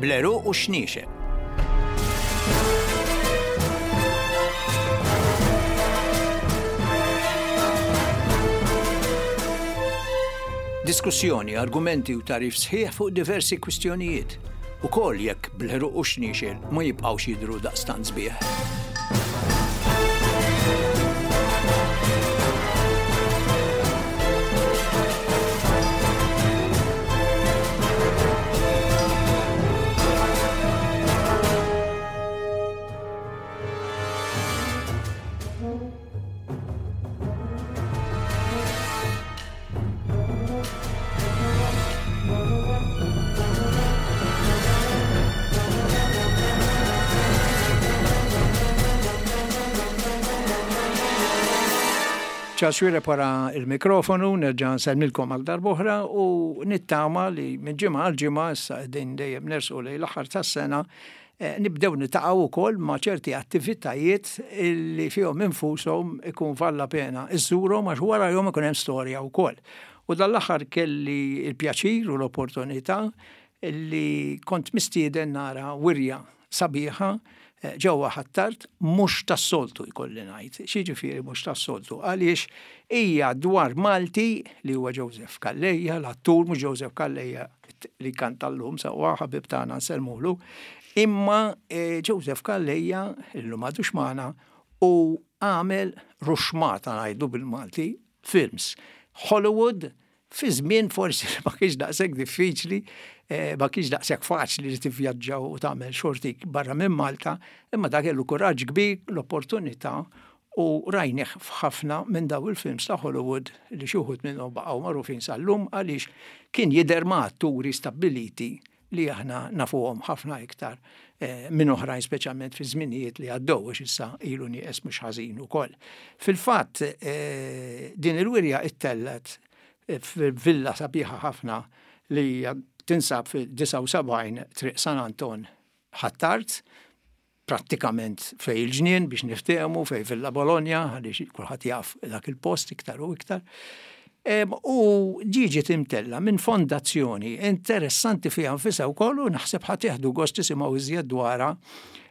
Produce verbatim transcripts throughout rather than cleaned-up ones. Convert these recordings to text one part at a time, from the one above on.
Bl-għeruq u x-xniexel. Diskussjoni, argumenti u tagħrif sħiħ fuq diversi kwistjonijiet. Ukoll jekk bl-għeruq u x-xniexel ma jibqgħux jidhru daqstant sbieħ. Charles Xuereb wara il-mikrofonu, nerġa' nsellmilkom għal darb'oħra u nittama li minn ġimgħa għal ġimgħa issa qegħdin dejjem nersu lejn l-aħħar tas-sena eh, nibdew niltaqgħu wkoll ma' ċerti attivitajiet li fihom infushom ikun valla pena iżżurhom għax warahom ikun hemm storja wkoll. U dal-aħħar kelli il-pjaċir u l-opportunità li kont mistieden nara wirja sabiħa eh, ġewwa Ħ'Attard mhux tas-soltu jkolli ngħid. X'jiġifieri mhux tas-soltu? Għaliex hija dwar Malti li huwa Joseph Calleja, l-attur mhux Joseph Calleja li kanta llum sewwa ħabib tagħna nsellmulu, imma eh, Joseph Calleja illum m'għadux magħna u għamel ruxmata ngħidu bil-Malti films. Hollywood fi żmien forsi ma kienx daqshekk diffiċli, eh, ma kienx daqshekk faċli li tivvjaġġa u tagħmel xortik barra minn Malta, imma dak kellu kuraġġ kbir, l-opportunità u rajnieh f'ħafna minn daw il-films ta' Hollywood li xi wħud minnhom baqgħu magħrufin sal-lum għaliex kien jidher ma' atturi stabbiliti li aħna nafuhom ħafna iktar eh, minn oħrajn speċjalment fi żminijiet li għaddew għax issa ilu nieqes mhux ħażin ukoll. Fil-fatt eh, din il-wirja ittellgħet fil-villa sabiħa ħafna li tinsab fil-disgħa u sebgħin Triq San Anton Ħ'Attard, prattikament fej il-ġnien biex niftehmu fej Villa Bologna, għaliex kulħadd jaf dak il-post iktar u iktar. Em, u ġiet imtella minn fondazzjoni interessanti fiha nfisha wkoll u naħseb ħa tieħdu gost tisimgħu iżjed dwarha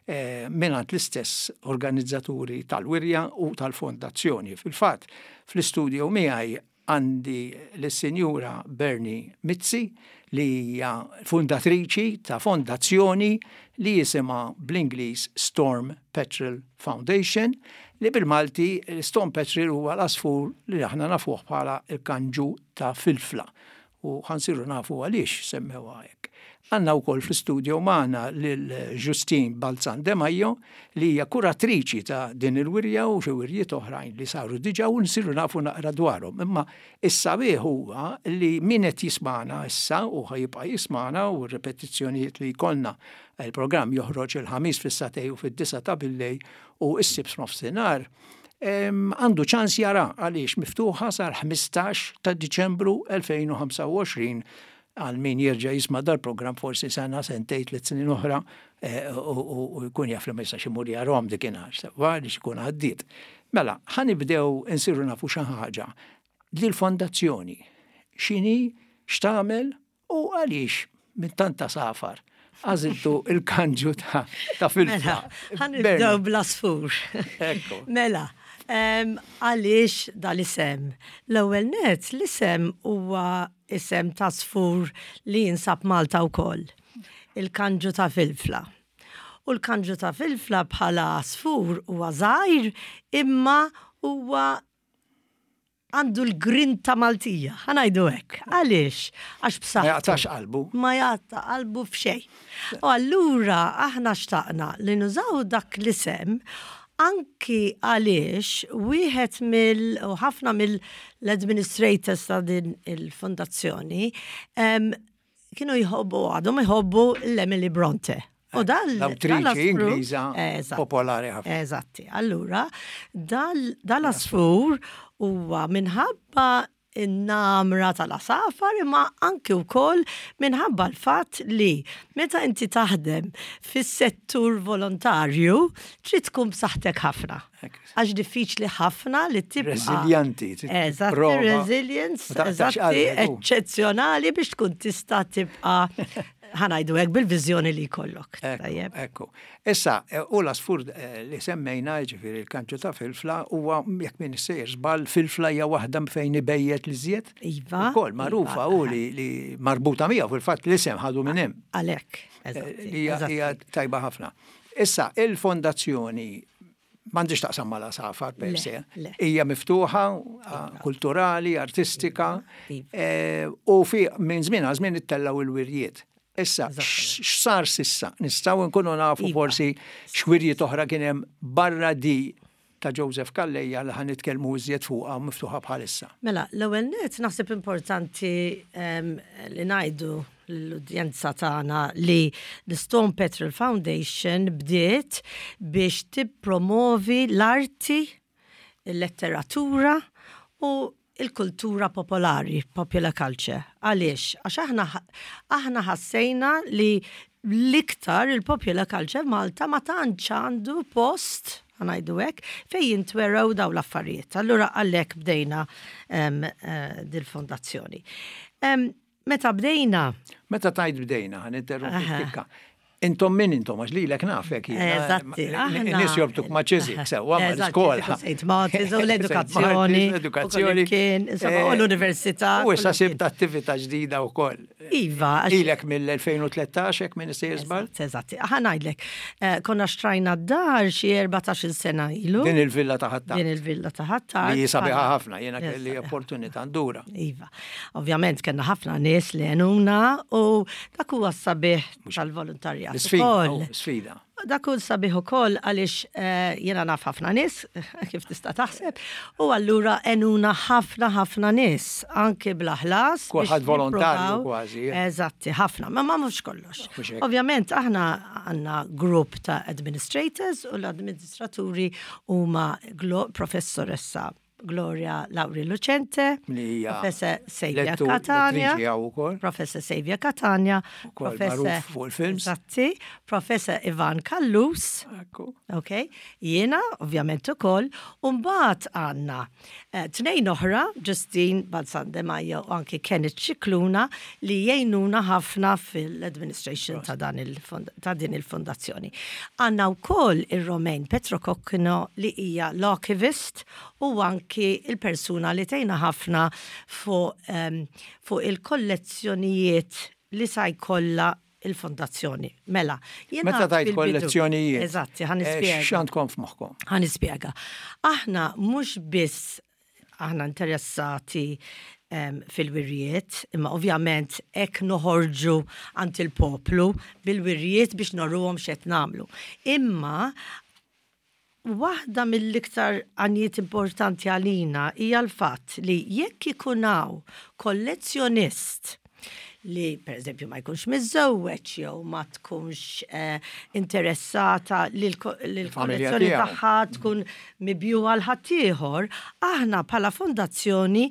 eh, mingħand l-istess organizzaturi tal-wirja u tal-fondazzjoni. Fil-fatt, fl-istudio miegħi għandi l-Sinjura Bernie Mizzi li hija fundatriċi ta' fondazzjoni li jisimha bl-Ingliż Storm Petrel Foundation, li bil-Malti Storm Petrel huwa l-asfur li aħna nafuh bħala il-kanġu ta' filfla. U ħa nsiru nafu għaliex semmewha hekk. Għandna wkoll fl-istudio magħna lil Justine Balzan De Majo li hija kuratriċi ta' din il-wirja u xi wirjiet oħrajn li saru diġà u nsiru nafu naqra dwarhom. Imma is-sabiħ huwa li min qed jismana issa u ħa jibqa' jismana u r-repetizzjonijiet li jkollna il-programm joħroġ il-ħamis fis-sagħtejn u fid-disgħa ta' billejl u s-Sibt nofsinhar. Għandu ċans jara għaliex miftuħa sar ħmistax ta' Diċembru elfejn u ħamsa u għoxrin għal min jerġa' jisma' dal-programm forsi sena, sentejn, tliet snin oħra, eh, u, u, u jkun jaf li ma jistax imur jarahom dikinhar, sewwa għaliex ikun għaddiet. Mela, ħa nibdew insiru nafu xi ħaġa. Dil-fondazzjoni x'inhi, x'tagħmel u għaliex minn tanta safar għażiltu il-kanġu ta', ta' filfla. Mela, ħa nibdew bl-asfur. Ekku. Mela, em, għaliex dal-isem? L-ewwel net, l-isem huwa isem ta' asfur li jinsab Malta wkoll. Il-kanġu ta' filfla. U l-kanġu ta' filfla bħala asfur huwa żgħir imma huwa għandu l-grinta Maltija, ħa ngħidu hekk. Għaliex? Għax b'saħħtu. Ma jaqtax qalbu. Ma jaqta' qalbu f'xejn. U allura aħna xtaqna li nużaw dak l-isem anki għaliex wieħed mill u ħafna mill-administrators ta' din il-fondazzjoni, em, kienu jħobbu, għadhom jħobbu l-Emily Bronte. U dal- L-awtriċi dal-asfur Ingliża Eżatt. popolari ħafna. Eżatti. Allura, dal-, dal-asfur huwa minħabba in-namra tal-asafar imma anki wkoll minħabba l-fatt li meta inti taħdem fis-settur volontarju trid tkun b'saħħtek ħafna. Ekk. Għax diffiċli ħafna li tibqa' Reżiljenti, trid Eżatt, prova. resilience, Ma taqtax eżatti, qalbek, u. eċċezzjonali biex tkun tista' tibqa' Ħa ngħidu hekk, bil-viżjoni li jkollok. Tajjeb. Ekku. Issa, eh, u l-għasfur eh, li semmejna, ġifieri il-kanġu ta' Filfla, huwa, jekk m'iniex sejjer żball, Filfla hija waħda fejn ibejjet l-iżjed. Iva. Ukoll magħrufa u li, li marbuta miegħu, fil-fatt l-isem ħadu minn hemm. Għalhekk. Eh, li hija hija tajba ħafna. Issa, il-fondazzjoni m'għandix taqsam mal-għasafar per se. Le. Hija miftuħa, kulturali, artistika, Iva. eh, u fi minn żmien għal żmien ittellaw il-wirjiet. Issa, x'sar s'issa? Nistgħu nkunu nafu Iva. forsi x'wirjiet oħra kien hemm barra di ta' Joseph Calleja li ħa nitkellmu iżjed fuqha miftuħa bħalissa? Mela, l-ewwel net naħseb importanti em, li ngħidu l-udjenza tagħna li l-Storm Petrel Foundation bdiet biex tippromovi l-arti, il-letteratura u il-kultura popolari, popular culture. Għaliex? Għax aħna aħna ħassejna li l-iktar il-popular culture Malta ma tantx għandu post, ħa ngħidu hekk, fej jintwerew daw l-affarijiet. Allura għalhekk bdejna em, eh, dil-fondazzjoni. Em, Meta bdejna, Meta tgħid bdejna, ħa ninterrompi Aha. tikka. Intom min intom, għax lilek nafek jiena. Eżatti, aħna. Nies jorbtuk ma' Chiswick, sewwa ma' Eżatt, l-iskola. Saint Martin's u l-edukazzjoni. L-edukazzjoni. Kien, insomma, u Eh, l-università. U issa kullimkien. sibt attività ġdida wkoll. Iva, għax- Ilek mill-elfejn u tlettax, jekk m'iniex sejjer żball? Eżatt, eżatt. Ħa ngħidlek, eh, konna xtrajna d-dar xi erbatax-il sena ilu. Din il-villa ta' Ħ'Attard. Din il-villa ta' Ħ'Attard. Li sabiħa ħafna, jiena Yes, kelli sabiħa. opportunità ndura. Iva. Ovvjament kellna ħafna nies li għenuna u dak huwa sabiħ tal-volontarjat L-sfida, ukoll. oh, sfida. Dak hu sabiħ ukoll għaliex eh, jiena naf ħafna nies, kif tista' taħseb, u allura għenuna ħafna ħafna nies, anke bla ħlas. biex Kulħadd volontarju nippruvaw. kważi, eh. Eżatti, ħafna, ma ma mhux kollox. Mhux hekk. Ovvjament aħna għandna grupp ta' administrators u l-amministraturi huma Glo- professoressa Gloria Lauri Lucente, Li hija Professor Xavier lettu- Catania, lettriċi hawn ukoll. Professor Xavier Catania, Ukoll magħruf fuq il-films. Eżatti, Professor Ivan Callus, Ekku. ok, jiena ovvjament ukoll, u mbagħad għandna eh, tnejn oħra, Justine Balzan De Majo u anki Kenneth Scicluna, li jgħinuna ħafna fil-administration ta' dan il-fond- ta' din il-fondazzjoni. Għandna wkoll ir-Romain Petro Kokkino li hija l-archivist u anki il-persuna li tgħinna ħafna fuq um, fuq il-kollezzjonijiet li sa jkollha il-fondazzjoni. Mela, jiena Meta tgħid fil-bidu- kollezzjonijiet. Eżatti, ħa eh, nispjega. X'għandkom f'moħħkom? Ħa nispjega. Aħna mhux biss aħna interessati em, fil-wirjiet, imma ovvjament hekk noħorġu għand il-poplu bil-wirjiet biex noruhom x'qed nagħmlu. Imma waħda mill-iktar għanijiet importanti għalina hija l-fatt li jekk ikun hawn kollezzjonist li per eżempju ma jkunx miżżewweġ jew ma tkunx eh, interessata li Il-familja l-kollezzjoni tiegħu. tagħha tkun mibjugħa 'l ħaddieħor, aħna bħala fondazzjoni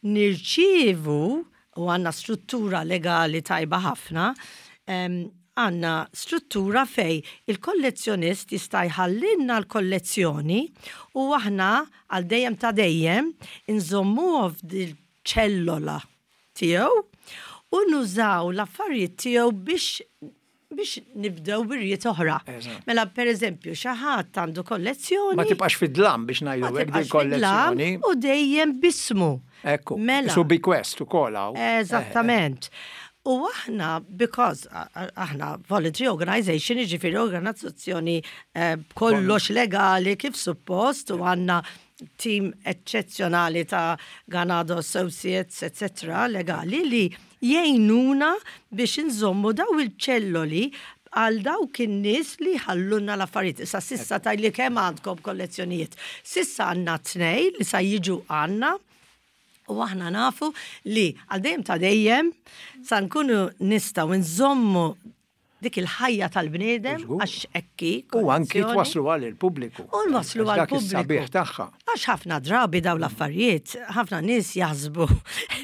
nirċievu, u għandna struttura legali tajba ħafna, em, għandna struttura fej il-kollezzjonist jista' jħallinna l-kollezzjoni u aħna għal dejjem ta' dejjem inżommuha f'dil-ċellola tiegħu u nużaw l-affarijiet tiegħu biex biex nibdew wirjiet oħra. Eżatt. Mela, per eżempju, xi ħadd għandu kollezzjoni. Ma tibqax fid-dlam, biex ngħidu Ma hekk, din tibqax fid-dlam kollezzjoni. u dejjem b'ismu. Ekku. Mela. Su bequest ukoll hawn. Eżattament. U aħna, because a- a- aħna voluntary organization, ġifieri organizzazzjoni eh, kollox legali kif suppost, u għandna team eccezzjonali ta' Ganado Associates, et cetera, legali li jgħinuna biex nżommu daw il-ċelloli għal dawk in-nies li ħallunna l-affarijiet. Issa s'issa tgħidli kemm għandkom kollezzjonijiet. S'issa għandna tnej li sa jiġu għandna. U aħna nafu li għal dejjem ta' dejjem sa nkunu nistgħu nżommu dik il-ħajja tal-bniedem Żgur. għax ekki. U anki kollezzjoni. twaslu għal il-pubbliku. U nwaslu Għax għal dak is-sabiħ pubbliku. tagħha. Għax ħafna drabi daw l-affarijiet, ħafna nies jaħsbu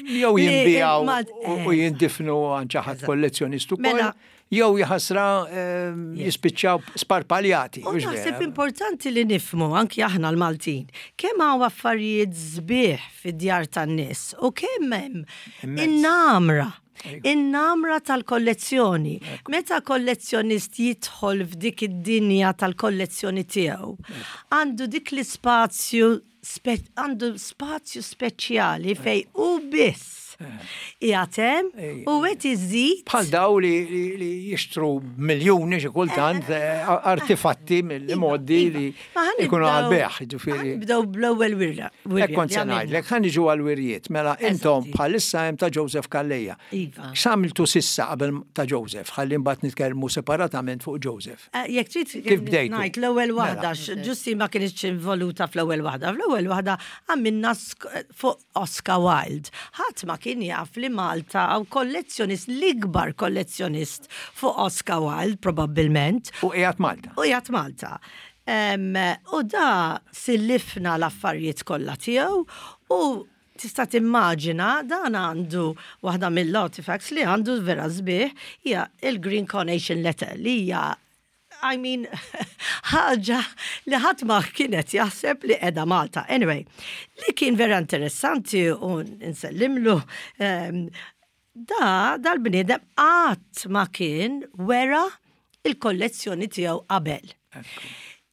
Jew li jinbijaw ma- u u jindifnu għand xi ħadd kollezzjonist ukoll, Mela- jew jaħasra ehm, jispiċċaw sparpaljati. U Hux naħseb vera? importanti li nifhmu anki aħna l-Maltin kemm hawn affarijiet sbieħ fid-djar tan-nies u kemm hemm Immens. in-namra. In-namra tal-kollezzjoni. Meta kollezzjonist jidħol f'dik id-dinja tal-kollezzjoni tiegħu, għandu dik l-ispazju għandu spazju speċjali fej u biss qiegħed hemm u qed iżid. Bħal daw li, li jixtru miljuni xi kultant eh, artifatti mill-modi iva, li ikunu għal-bejgħ, ġifieri. Bdew bl-ewwel wirja. Hekk kont se ngħidlek, ħa niġu għal-wirjiet, mela intom bħalissa hemm ta' Joseph Calleja. Iva. X'għamiltu s'issa qabel ta' Joseph? Ħalli mbagħad nitkellmu separatament fuq Joseph. Eh, jekk trid kif bdejtu? Ngħid l-ewwel waħda, mela. Ġusti ma kienx involuta fl-ewwel waħda. Fl-ewwel waħda għamilna fuq Oscar Wilde. Ħadd ma kien jaf li Malta hawn kollezzjonist, l-ikbar kollezzjonist fuq Oscar Wilde, probabbilment. U qiegħed Malta. U qiegħed Malta. U da sillifna l-affarijiet kollha tiegħu u tista' timmaġina dan għandu waħda mill-artifacts li għandu vera sbieħ hija il-Green Carnation Letter li hija, I mean, ħaġa li ħadd ma kienet jaħseb li qiegħda Malta. Anyway, li kien vera interessanti u nsellimlu, um, da dal-bniedem qatt ma kien wera il-kollezzjoni tiegħu qabel.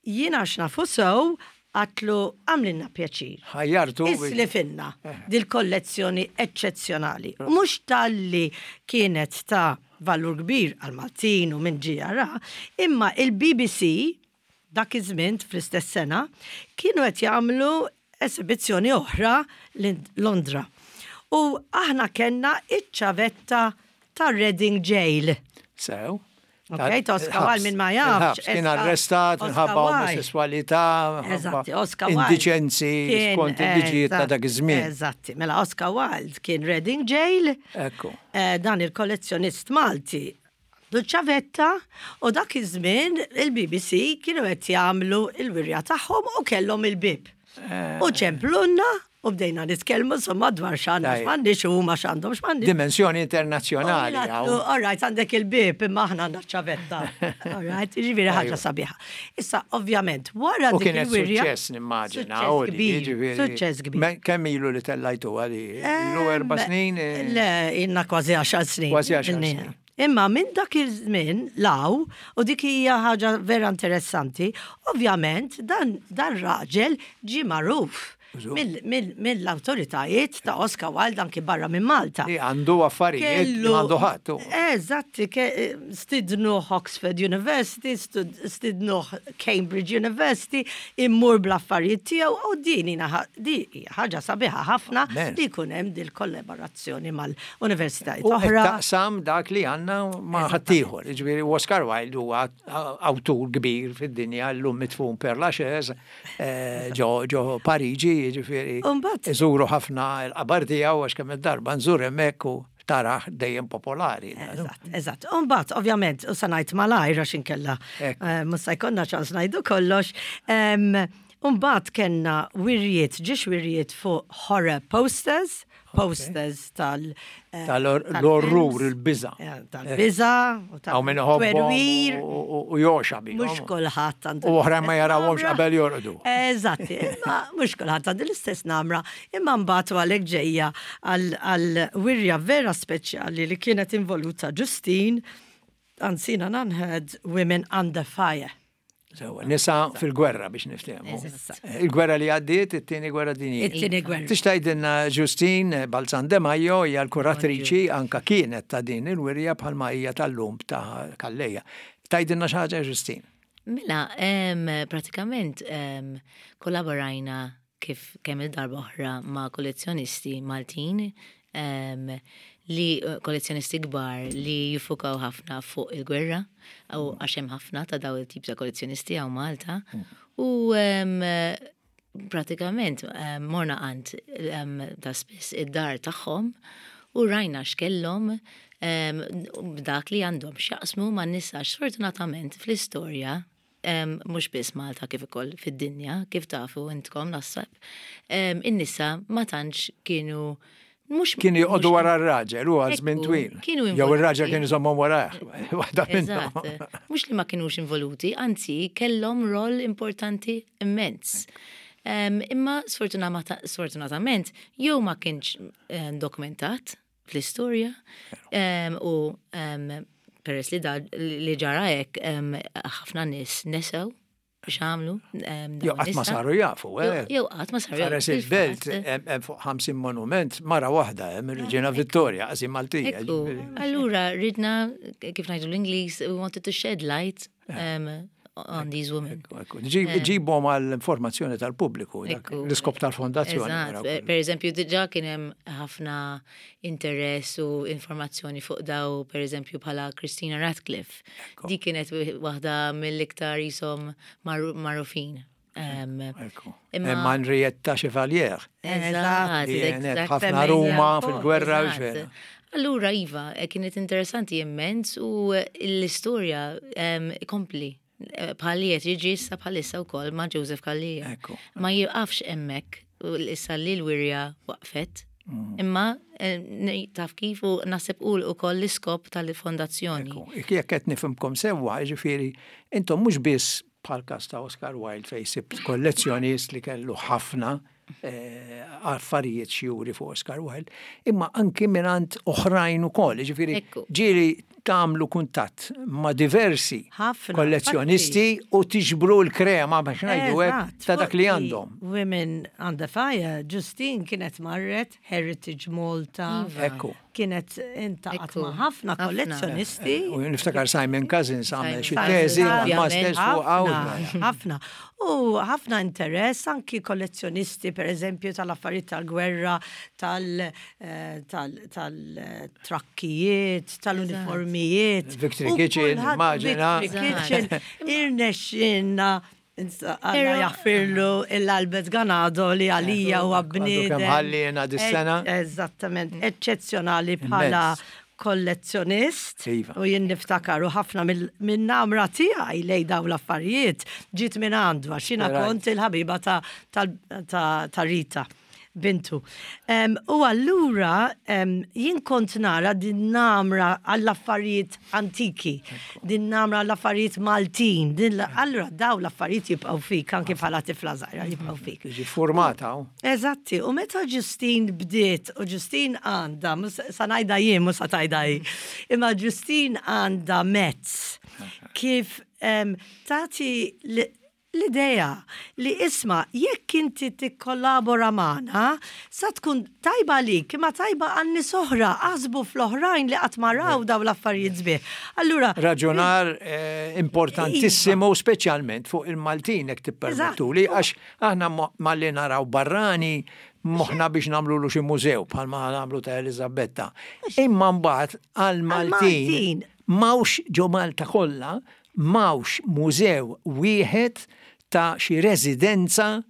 Jiena għax nafu sew għedtlu agħmlilna pjaċir. Ħajjartu. Islifilna dil-kollezzjoni eċċezzjonali. Mhux talli kienet ta' valur kbir għal Maltin u minn ġara, imma il-B B C dak iż-żmien fl-istess sena kienu qed jagħmlu esibizzjoni oħra Londra. U aħna kellna iċ-ċavetta ta' Reading Jail. Sew. Ok, Oscar Wilde minn ma jafx. Kien arrestat minħabba omosessualità, Eżatti, Oscar Wilde. Indiċenzi skont il-liġijiet ta' dak iż-żmien. Eżatti, mela Oscar Wilde kien Reading Jail. Ekku. Eh, dan il-kollezzjonist Malti ċavetta u dak iż-żmien il-B B C kienu qed jagħmlu il-wirja tagħhom u kellhom il-bib. U ċemplunna u bdejna nitkellmu insomma dwar x'għandna, x'm'għandniex u huma x'għandhom x'm'għandniex. Dimensjoni internazzjonali. All right, għandek il-bib imma aħna għandna ċavetta. All right, ġifieri ħaġa sabiħa. Issa, ovvjament, wara U kienet suċċess nimmaġina. Suċċess kbir. Suċċess kbir. Kemm ilu li tellajtu għali? Ilu erba' snin? Le, ilna kważi għaxar snin. Kważi għaxar snin. Imma minn dak iż-żmien 'l hawn, u dik hija ħaġa vera interessanti, ovvjament dan, dan raġel ġi magħruf mill-autoritajiet ta' Oscar Wilde anki barra minn Malta. Li għandu affarijiet li għandu ħadd. Eżatti, stidnuh Oxford University, stidnuh Cambridge University, immur bl-affarijiet tiegħu u din ħaġa sabiħa ħafna li jkun hemm dil-kollaborazzjoni mal-universitajiet oħra. Taqsam dak li għandna ma' ħaddieħor. Ġifieri Oscar Wilde huwa awtur kbir fid-dinja, llum midfun Père Lachaise eh, ġo Pariġi, ġifieri. Iżuru ħafna il-qabar tiegħu għax kemm id-darba nżur hemmhekk u taraħ dejjem popolari. Eżatt, eżatt. Umbagħad, ovvjament, u sa ngħid malajr għax inkella eh, mhux se jkollna ċans ngħidu kollox. Umbagħad kellna wirjiet, ġiex wirjiet fuq horror posters, posters tal- eh, Tal-orrur, il-biża. Tal-biża, u tal-twerwir. U joxa bi. Mhux kulħadd għandu. U oħra ma jarawhomx qabel jorqdu. Eżatti, imma mhux kulħadd għandu l-istess namra. Imma mbagħad għalhekk ġejja għal wirja vera speċjali li kienet involuta Justine, Unseen and Unheard Women Under Fire. Sewa, nisa fil-gwerra biex niftehmu. Il-gwerra li għaddiet, it-tieni gwerra dinjija. It-tieni gwerra. Tista' tgħidilna Justine Balzan De Majo hija l-kuratriċi anka kienet ta' din il-wirja bħalma hija tal-lum ta' Calleja. Tgħidilna xi ħaġa, Justine? Mela, pratikament kollaborajna kif kemm il-darba oħra ma' kollezzjonisti Maltin li kollezzjonisti kbar li jiffukaw ħafna fuq il-gwerra, u għax hemm ħafna ta' daw il-tip ta' kollezzjonisti hawn Malta. U pratikament morna għand ta' spiss id-dar tagħhom u rajna x'kellhom dak li għandhom x'jaqsmu ma' nisa. Sfortunatament fl-istorja, mhux biss Malta kif ukoll fid-dinja, kif tafu intkom naħseb, in-nisa ma tantx kienu mux. Kienu joqogħdu wara r-raġel, u għal żmien twil. Kienu Jew ir-raġel kien iżommhom warah. Waħda minnhom. Mhux li ma kienux involuti, anzi kellhom rol importanti immens. Imma sfortunatament jew ma kienx dokumentat. fl-istorja Em, u em, peress li da li ġara hekk em, ħafna nies nesew x'għamlu. em, Jew dawn qatt ma nisa. saru jafu, eh. Jew jew qatt ma saru jafu. Ħares il-belt, fil-fatt. hemm hemm fuq ħamsin monument, mara waħda, hemm ir-Reġina Vittoria, qasi Maltija. Ekku, ġifieri. allura ridna, kif ngħidu l-Ingliż, we wanted to shed light um, on these women. Ekku, ekku. Ġib- Ġibhom għall-informazzjoni tal-pubbliku, dak Ekku. l-iskop tal-fondazzjoni. Eżatt, wara per kollox. per eżempju, diġà kien hemm ħafna interess u informazzjoni fuq daw, per eżempju, bħala Christina Ratcliffe. Di kienet waħda mill-iktar jisom magħrufin. Um, Ekku. Imma- Hemm Henrietta Chevalier. Eżatt, Li kienet eżatt. ħafna Ruma fil-gwerra u Eżatt. xena. Allura, iva, eh, kienet interessanti immens u eh, l-istorja em, kompli. Eh, Bħalli qed jiġi issa bħalissa wkoll ma' Joseph Calleja. Ekku. Ma jiqafx hemmhekk u issa li l-wirja waqfet. Mm. Imma eh, ne- taf kif u naħseb u ukoll l-iskop tal-fondazzjoni. Ekku, jekk qed nifhimkom sewwa, ġifieri, intom mhux biss bħal każ ta' Oscar Wilde fejn sibt kollezzjonist li kellu ħafna eh, affarijiet xjuri fuq Oscar Wilde, imma anki mingħand oħrajn ukoll, ġifieri Ekku. ġieli tagħmlu kuntatt ma' diversi Ħafna, kollezzjonisti u tiġbru l-krema biex ngħidu hekk Eżatt, ta' dak li fuq għandhom. Women Under Fire, Justine kienet marret Heritage Malta. Iva. Ekku. Kienet intaqat Ekku. ma' ħafna Ħafna. kollezzjonisti. U niftakar Simon Cousins għamel xi Simon teżi Cousins, masters fuq Ħafna, hawn. ħafna. U ħafna interess anki kollezzjonisti, per eżempju, tal-affarijiet tal-gwerra, tal- eh, tal- tal-trakkijiet, tal-uniformijiet. Victory U Kitchen, kulħadd- immaġina. Victory Kitchen, irnexxinna Alla Pero- jaffirlu l-Albert Ganado li għalija u Għadu bniedem. kemm ħallina dis-sena. Eżattament, eċċezzjonali bħala Immens. kollezzjonist Iva. u jien niftakar u ħafna minn namra tiegħi lej daw l-affarijiet ġiet minn għandu għax jiena Right. kont il-ħabiba ta' ta' ta' ta' Rita bintu. Em, u allura em, jien kont nara din namra għall-affarijiet antiki, din namra għall-affarijiet Maltin, din la- allura daw l-affarijiet jibqgħu fik anke bħala tifla żgħira jibqgħu fik. Ġi formata, u. Eżatti, u meta Justine bdiet, u Justine għandha, mhux sa ngħidha jien, mhux sa tgħidha hi, imma Justine għandha mezz kif em, tagħti l- l-idea li isma' jekk inti tikkollabora magħna, sa tkun tajba lik, imma tajba għan nies oħra, aħsbu fl-oħrajn li qatt ma raw daw l-affarijiet sbieħ. Allura, Raġunar eh, importantissimu, speċjalment fuq il-Maltin, jekk tippermettuli, għax aħna mo- malli naraw barrani moħna biex nagħmlu lu xi mużew bħalma nagħmlu ta' Elizabetta. Imma mbagħad għal-Maltin Għal-Maltin. m'hawnx ġo Malta kollha, m'hawnx mużew wieħed ta' xi residenza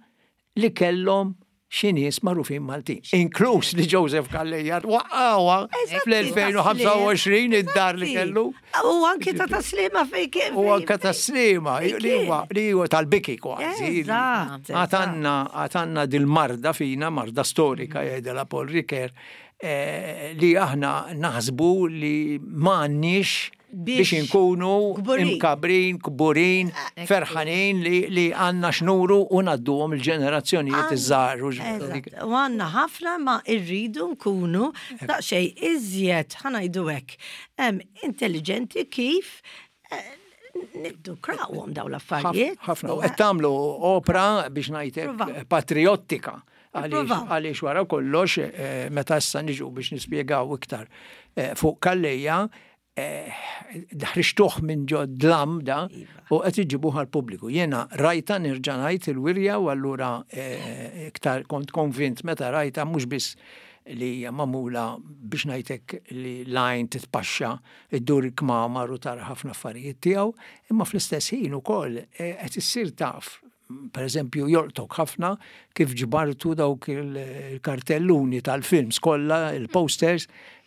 li kellhom xi nies magħrufin Maltin. Inkluż li Joseph Calleja waqqawha fl-elfejn u ħamsa u għoxrin id-dar li Eżatti. kellu. U anki ta' Taslima fej kien. U anka Taslima, li huwa li huwa tal-biki kważi. Eżatt, Għatanna għatanna dil-marda fina, marda storika jgħidela Paul Ricoeur, eh, li aħna naħsbu li m'għandniex Biex biex inkunu kburin. imkabrin, kburin, ferħanin li, li għandna x'nuru u ngħadduhom il-ġenerazzjonijiet iż-żgħar. u Eżatt. U għandna ħafna ma irridu nkunu daqsxejn iżjed ħa ngħidu hekk em, intelligenti kif eh, niddukrawhom daw l-affarijiet. Ħafna. U qed tagħmlu opra biex ngħidlek Provaw. patriottika. Għaliex Provaw. għaliex wara kollox eh, meta issa niġu biex nispjegaw iktar eh, fuq Calleja, eh, ħriġtuh minn ġo dlam da u qed iġibuh għall-pubbliku. Jiena rajta nerġa' ngħid il-wirja u allura eh, iktar kont konvint meta rajta mhux biss li hija magħmula biex ngħidlek li lajn titpaxxa iddur il-kmamar u tara ħafna affarijiet tiegħu, imma fl-istess ħin ukoll eh, qed issir taf per eżempju, jolqtok ħafna kif ġbartu dawk il-kartelluni tal-films kollha, il-posters,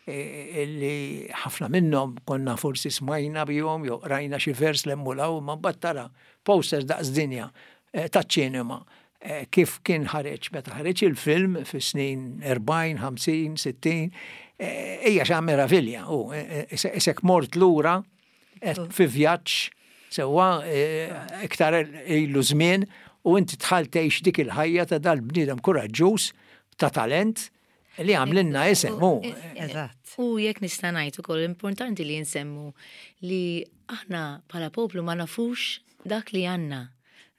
eh, li ħafna minnhom konna forsi smajna bihom jew rajna xi vers l-emmulaw, ma mbagħad tara posters daqs dinja eh, taċ-ċinema eh, kif kien ħareġ meta ħareġ il-film fis-snin erbgħin, ħamsin, sittin, hija xi meravilja u isek mort lura fi vjaġġ sewwa iktar ilu żmien u inti tħal tgħix dik il-ħajja ta' dal-bniedem kuraġġuż ta' talent. Li għamlilna isem, hu. Eżatt. U jekk nista' ngħid ukoll importanti li nsemmu li aħna bħala poplu ma nafux dak li għandna.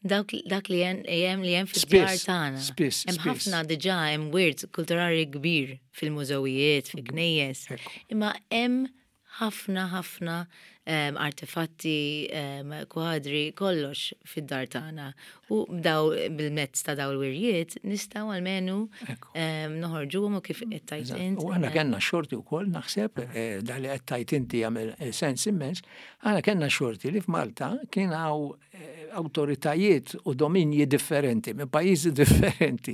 Dak, dak li hemm li hemm fid-djar Spiss, tagħna. spiss, Hemm spiss. ħafna diġà hemm wirt kulturali kbir fil-mużewijiet, fil-knejjes. Ekku. Imma hemm ħafna ħafna um, artefatti, um, kwadri, kollox fid-dar tagħna. U daw bil-mezz ta' daw il-wirjiet nistgħu almenu Ekku. um, noħorġuhom u kif qed tgħid int. U aħna kellna xorti wkoll naħseb, eh, da li qed tgħid inti jagħmel eh, sens immens, aħna kellna xorti li f'Malta kien hawn eh, awtoritajiet u dominji differenti, minn pajjiżi differenti,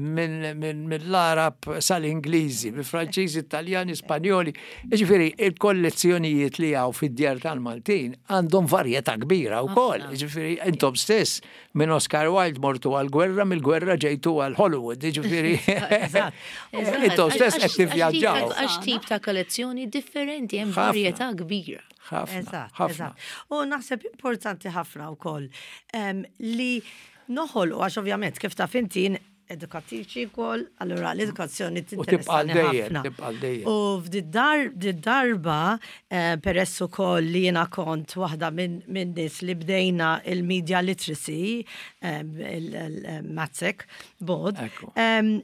minn minn- mill-Arab sal-Ingliżi, minn Franċiżi, Italjani, Spanjoli. Ġifieri, il-kollezzjonijiet li hawn fid-djar tal-Maltin għandhom varjetà kbira wkoll. Ġifieri, intom stess minn Oscar Wilde mortu għal-gwerra, mill-gwerra ġejtu għal Hollywood. Ġifieri, Eżatt. intom stess qed tivvjaġġaw. Għax tip ta' kollezzjoni differenti, hemm Ħafna. varjetà kbira. Ħafna, Eżatt, ħafna. eżatt. U naħseb importanti ħafna wkoll em, li noħolqu għax ovvjament kif taf inti jien edukattriċi wkoll, allura l-edukazzjoni U tibqa' tinteressani dejjem, ħafna. tibqa' dejjem. U f'did-darba, eh, peress ukoll li jiena kont waħda minn min nies li bdejna il-media literacy, il-MATSEC board, Ekku. em,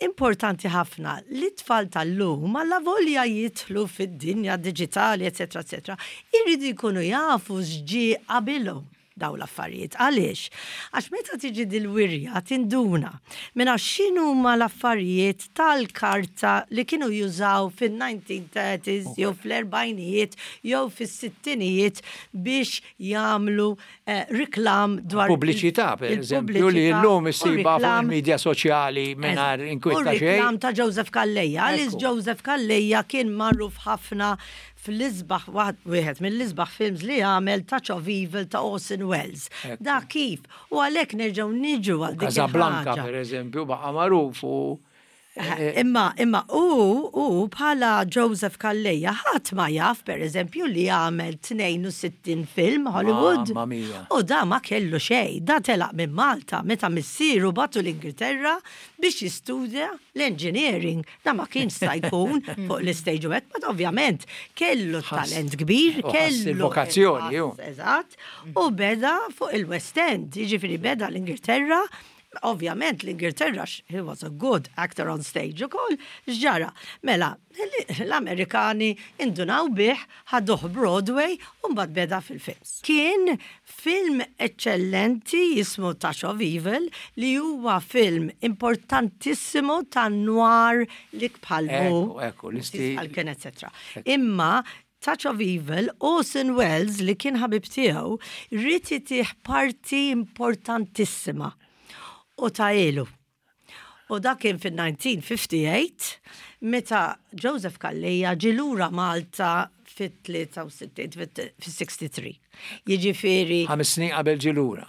importanti ħafna li t-tfal tal-lum alla volja jidħlu fid-dinja digitali, eccetera, eccetera, irridu jkunu jafu x'ġie qabilhom daw l-affarijiet. Għaliex? Għax meta tiġi dil-wirja tinduna minna x'inhuma l-affarijiet tal-karta li kienu jużaw fin-nineteen thirties jew fl-erbgħinijiet jew fis-sittinijiet biex jagħmlu eh, reklam dwar Pubbliċità, per eżempju, li il-pubbliċità l-lum u issiba fuq reklam il-medja soċjali mingħajr inkwiet U xejn. reklam ta' Joseph Calleja. Għaliex Ekku. Joseph Calleja kien magħruf ħafna fl-isbaħ, wieħed mill-isbaħ films li għamel, Touch of Evil ta' Orson Welles. Ekku. Da kif? U għalhekk nerġgħu niġu għal dik Casablanca, il-ħaġa. per eżempju, baqa' magħruf u eh, Imma, imma, u, u bħala Joseph Calleja, ħadd ma jaf, per eżempju, li għamel tnejn u sittin film Hollywood. Mamma mia. U da ma kellu xej, da telaq minn Malta, meta missieru bagħtu l-Ingilterra biex jistudja l-engineering. Da ma kien sta jkun fuq l-stage u hekk, but ovvjament kellu Ħass- talent kbir, u ħass kellu il-vokazzjoni, ju. Eżatt, u beda fuq il-West End, jiġifieri beda l-Ingilterra. Ovvjament l-Ingilterra, he was a good actor on stage ukoll, x'ġara? Mela, l-Amerikani indunaw bih, ħaduh Broadway, u mbagħad beda fil-films. Kien film eccellenti jismu Touch of Evil, li huwa film importantissimo ta' noir li bħalmu. Ekku, ekku, l-istil. Għal-kien, et cetera. Imma Touch of Evil, Orson Welles, li kien ħabib tiegħu, ried itih parti importantissima. U tahielu. U dak kien fil-elf disa' mija u ħamsa u tletin, meta Joseph Calleja ġie lura Malta fit-tlieta u sittin, fil-tlieta u sittin. Jiġifieri Ħames snin qabel ġie lura.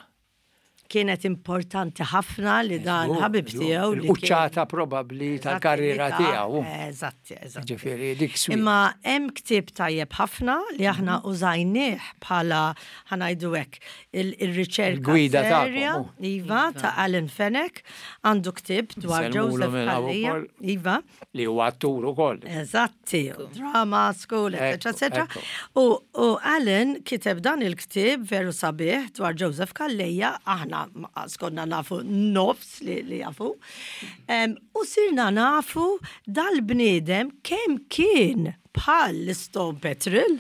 Kienet importanti ħafna li dan ħabib tiegħu li kien- Il-quċċata probabbli tal-karriera Eżatti, tiegħu. Eżatti, eżatti. Ġifieri dik sweet. Imma hemm ktieb tajjeb ħafna li aħna użajnieh bħala, ħa ngħidu hekk, il- il-riċerka Il-gwida tagħkom, serja, oh. Iva, ta' Alan Fenech, għandu ktieb dwar Nsellmulu Joseph minn hawn Calleja. ukoll. Iva, Li huwa attur ukoll. Eżatti, drama school, et cetera, Ekku, et cetera. ekku. U, u Alan kiteb dan il-ktib veru sabiħ dwar Joseph Calleja, aħna ma konna nafu nofs li, li jafu. Um, u sirna nafu dal-bniedem kemm kien bħal l-Stone Petrel.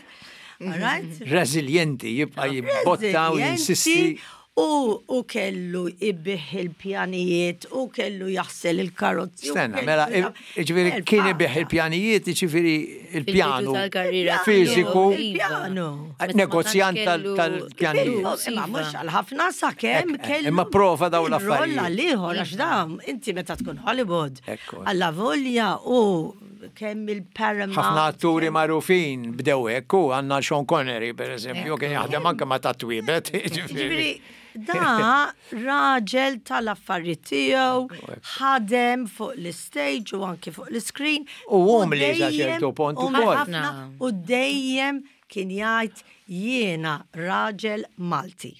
All right? Resilienti, jibqa' jibbotta u jinsisti. Resilienti, U, u kellu ibigħ il-pjanijiet, u kellu jaħsel il-karozzi, u Stenna, kellu mela, jam- ġifieri kien ibigħ il-pjanijiet, ġifieri il-pjanu tal-karriera fiżiku, Il-pjanu. Negozjant tal- tal-pjanijiet. Imma mhux għal ħafna sakemm Ek, kellu. Imma prova daw l-affarijiet. Il-rolla l-ieħor għax dam, inti meta tkun Hollywood. Ekku. Alla volja u kemm il-Paramount. Ħafna atturi magħrufin bdew hekk u għandna Sean Connery, per eżempju, kien jaħdem anke ma ta' twiebet. Ġifieri, da raġel tal-affarijiet tiegħu, ħadem fuq l-stage u anki fuq l-screen. U umli sa dejjem- ċertu punt umli ukoll. ħafna, u dejjem kien jgħid, "Jiena raġel Malti."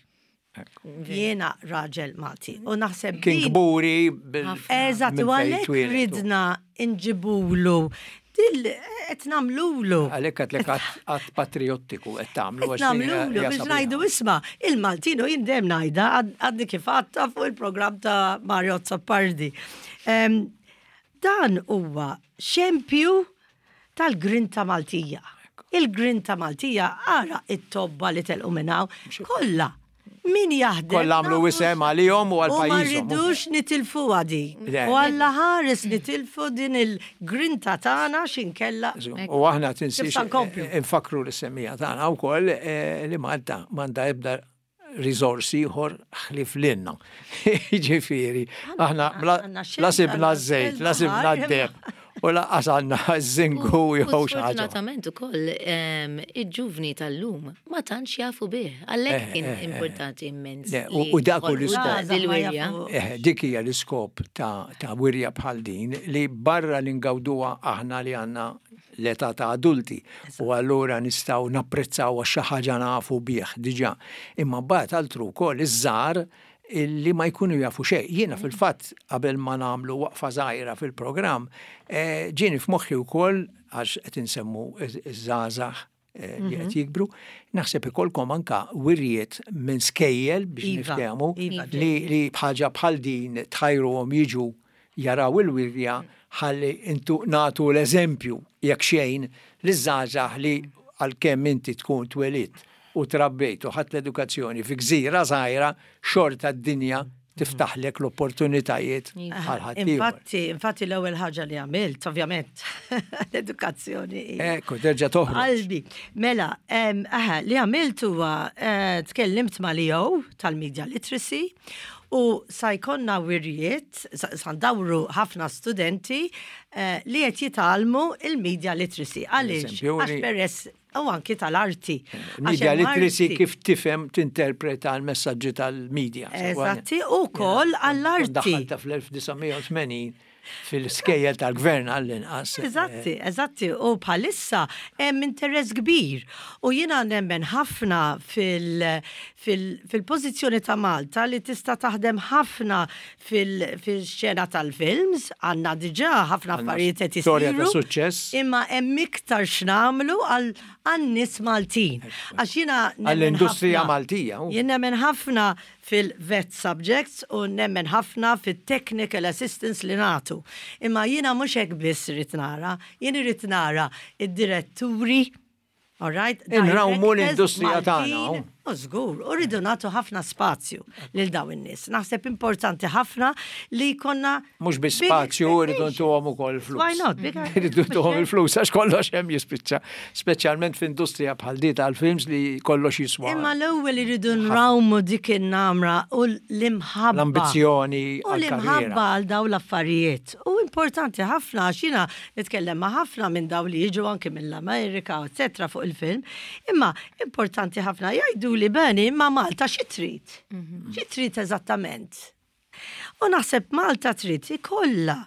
Jiena raġel Malti. U naħseb Kien din- kburi bil. Eżatt, u minn fejn għalhekk twieled. ridna nġibulu dil qed nagħmlulu. Għalhekk għedtlek att patriottiku qed tagħmlu. Qed nagħmlulu biex ngħidu, isma', il-Maltino jindem ngħidha għadni kif għadta fuq il-programm ta' Mario Azzopardi. Em, Dan huwa xempju tal-grinta Maltija. Il-grinta Maltija, ara it-tobba li telqu minn hawn, kollha. Min jaħdem. Kollha għamlu nafu isem għalihom u għal U ma pajjiżhom. rridux nitilfu għadi. Le. U Alla ħares nitilfu din il-grinta tagħna xinkella. U aħna tinsiex Nista' nkomplu. infakru l-semmija tagħna wkoll eh, li Malta m'għandha ebda risorsi ieħor ħlief lilna. Ġifieri, aħna bla- għandna xejn, la sibna għandna ż-żejt, la sibna il-baħar, d-deheb, u lanqas għandna ż-żinku U jew xi ħaġa. sfortunatament ukoll em, il-ġuvni tal-lum ma tantx jafu bih. Għalhekk kien importanti immens. Le, u- li u dak hu ħolqu l-iskop. dil-wirja. Jafu. Eh, dik hija l-iskop ta', ta' wirja bħal din li barra li ngawduha aħna li għandna l-età ta' adulti u allura nistgħu napprezzaw għax xi ħaġa nafu bih diġà. Imma mbagħad altru wkoll iż-żgħar illi ma jkunu jafu xejn. Jiena fil-fatt qabel ma nagħmlu waqfa żgħira fil-programm, eh, ġieni f'moħħi wkoll għax qed insemmu iż-żgħażagħ eh, li qed jikbru, naħseb ikollkom anka wirjiet minn skejjel biex Iva, niftehmu iva, li, li bħaġa bħal din tħajruhom jiġu jaraw il-wirja ħalli intu nagħtu l-eżempju jekk xejn li żgħażagħ li għalkemm inti tkun twelidt u trabbejt u ħadt l-edukazzjoni fi gżira żgħira, xorta d-dinja tiftaħlek l-opportunitajiet għal ħaddieħor. Infatti, infatti l-ewwel ħaġa li għamilt, ovvjament, l-edukazzjoni. hija Ekku, terġa' toħroġ. Qalbi. Mela, em, aha, li għamilt huwa eh, tkellimt ma' Leo tal-Media Literacy u sa jkollna wirjiet, sa sa ndawru ħafna studenti eh, li qed jitgħallmu il-media literacy. Għaliex? Eżempju, Għax li- peress u anki tal-arti. Għax Media hemm literacy arti. kif tifhem tinterpreta l-messaġġi tal-media. Eżatti, u koll għall-arti. Daħħalta fl-elf disa' mija u tmenin fil-skejjel tal-gvern għall-inqas. Eżatti, eżatti, u bħalissa hemm interess kbir. U jiena nemmen ħafna fil-pożizzjoni ta' Malta li tista' taħdem ħafna fil-xena tal-films, għandna diġà ħafna affarijiet qed Storja ta' isiru. suċċess. Imma hemm iktar x'nagħmlu għal għan-nies Maltin. Għax jiena nemmen Għall-industrija ħafna- Maltija, u. Jien nemmen ħafna fil-VET subjects u nemmen ħafna fil-technical assistance li nagħtu. Imma jiena mhux hekk biss irrid nara, jien irrid nara id-diretturi, all right? Inrawmu directors l-industrija tagħna, Maltin. u. U żgur, u rridu nagħtu ħafna spazju lil daw in-nies. Naħseb importanti ħafna li jkollna Mhux biss big spazju, rridu expectation. ntuhom ukoll flus. Why not? Big Rridu ntuhom il-flus, għax kollox hemm jispiċċa. Speċjalment f'industrija bħal di tal-films li kollox jiswa. Imma l-ewwel irridu nrawmu dik in-namra u l-imħabba. L-ambizzjoni U għall-karriera. l-imħabba għal daw l-affarijiet. U importanti ħafna għax jiena nitkellem ma' ħafna minn daw li jiġu anke mill-Amerika, eccetera, fuq il-film. Imma importanti ħafna jgħidu li beni, imma Malta xi trid? Xi trid eżattament? U naħseb Malta trid ikollha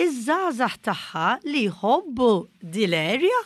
iż-żgħażagħ tagħha li jħobbu dil-area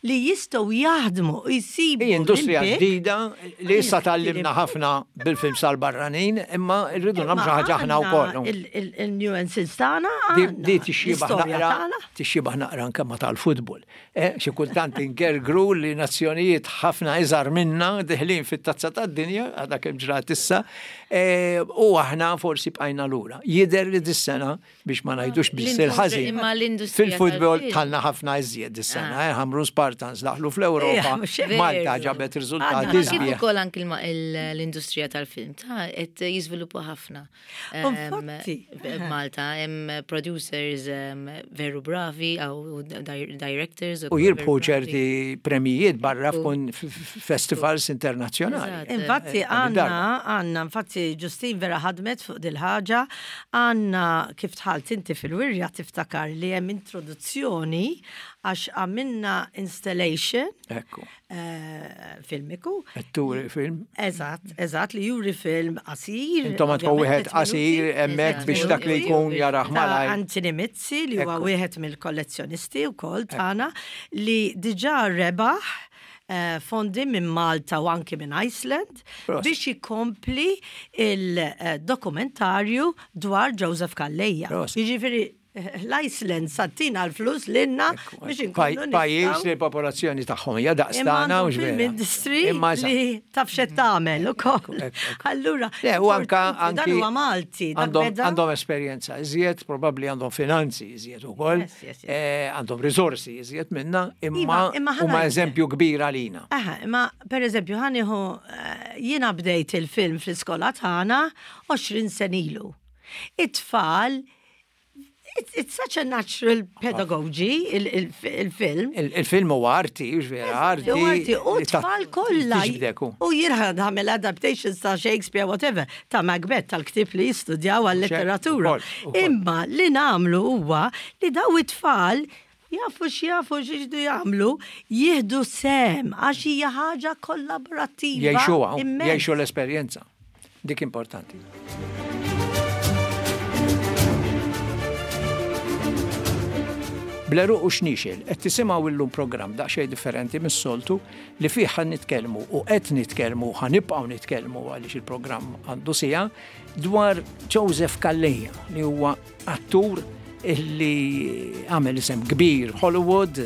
li jistgħu jaħdmu u jsibu Hi industrija l-impjieg. ġdida li issa tgħallimna ħafna bil-films tal-barranin, imma rridu nagħmlu xi ħaġa aħna wkoll. Il-nuances tagħna Di għandna, di tixxibaħ l-istorja naqra, tagħna. tixxibaħ naqra anke ma tal-futbol. Eh, xi kultant ingergru li nazzjonijiet ħafna iżgħar minna deħlin fit-tazza tad-dinja, għadha kemm ġrat issa, eh, u aħna forsi bqajna lura. Jidher li dis-sena biex ma ngħidux biss L-industri- il-ħażin. imma l-industrija Fil-futbol tal-film. tħalna ħafna iżjed dis-sena, eh, Ħamrun Spartans daħlu fl-Ewropa, Ija, mhux hekk. Malta Veru. ġabet riżultati Għandna Kif sbieħ. ukoll anki il- il- l-industrija tal-film ta' qed jiżviluppa ħafna. Em, Infatti. Malta hemm producers em, veru bravi aw di- directors U ukoll jirbħu veru bravi. ċerti premijiet barra f'kun f- f- festivals internazzjonali. Eżatt. Infatti Eh, għandna, għandna, infatti Ġustin vera ħadmet fuq dil-ħaġa, għandna kif dħalt inti fil-wirja tiftakar li hemm introduzzjoni għax għamilna installation Ekku, eh, filmiku. turi film. Eżatt, eżatt, li juri film qasir. Intom għandkom ovvjament, wieħed tliet qasir minuti. hemmhekk Eżatt. biex dak li jkun jarah ta' malajr. Anthony Mizzi li huwa Ekku. wieħed mill-kollezzjonisti wkoll tagħna li diġà rebaħ eh, fondi minn Malta u anki minn Iceland Prosit. biex jikompli il-dokumentarju dwar Joseph Calleja. Prosit. Jiġifieri eh, l-Iceland sattina l-flus lilna biex inkunu Pajjiż nistgħu- li l-popolazzjoni tagħhom hija Imma daqstana għandhom u film vera. industry Imma eżatt. li taf xed tagħmel ukoll. Ekku, ekku. Allura, Le, u anka importanti, dan anki huwa Malti, dak għandhom beda- għandhom esperjenza iżjed, probabbli għandhom finanzi iżjed ukoll, Yes, yes, yes. eh, għandhom risorsi iżjed minna, imma Iva, imma ħa huma ngħidlek. eżempju kbir għalina. Aha, imma per eżempju ħaniħu eh, jiena bdejt il-film fl-iskola tagħna għoxrin sena ilu. It-tfal, it's, it's such a natural pedagogy, il- il- il-film. Il- Il-film huwa arti, hux vera, arti. U arti, u li ta' tfal kollha. tiġbdek, u. U jiena nagħmel adaptations ta' Shakespeare, whatever, ta' Macbeth, tal-ktib li jistudjaw għal-letteratura. Ukoll, ukoll. Imma li nagħmlu huwa li daw it-tfal jafu x'jafu x'iridu jagħmlu, jieħdu sehem għax hija ħaġa kollaborattiva. Jgħixuha, immens. jgħixu l-esperjenza. Dik importanti. Bl-għeruq u xniexel, qed tisimgħu illum programm daqsxejn differenti mis-soltu li fih ħan nitkellmu u qed nitkellmu ħa nibqgħu nitkellmu għaliex il-programm għandu siegħa dwar Joseph Calleja li huwa attur illi għamel isem kbir Hollywood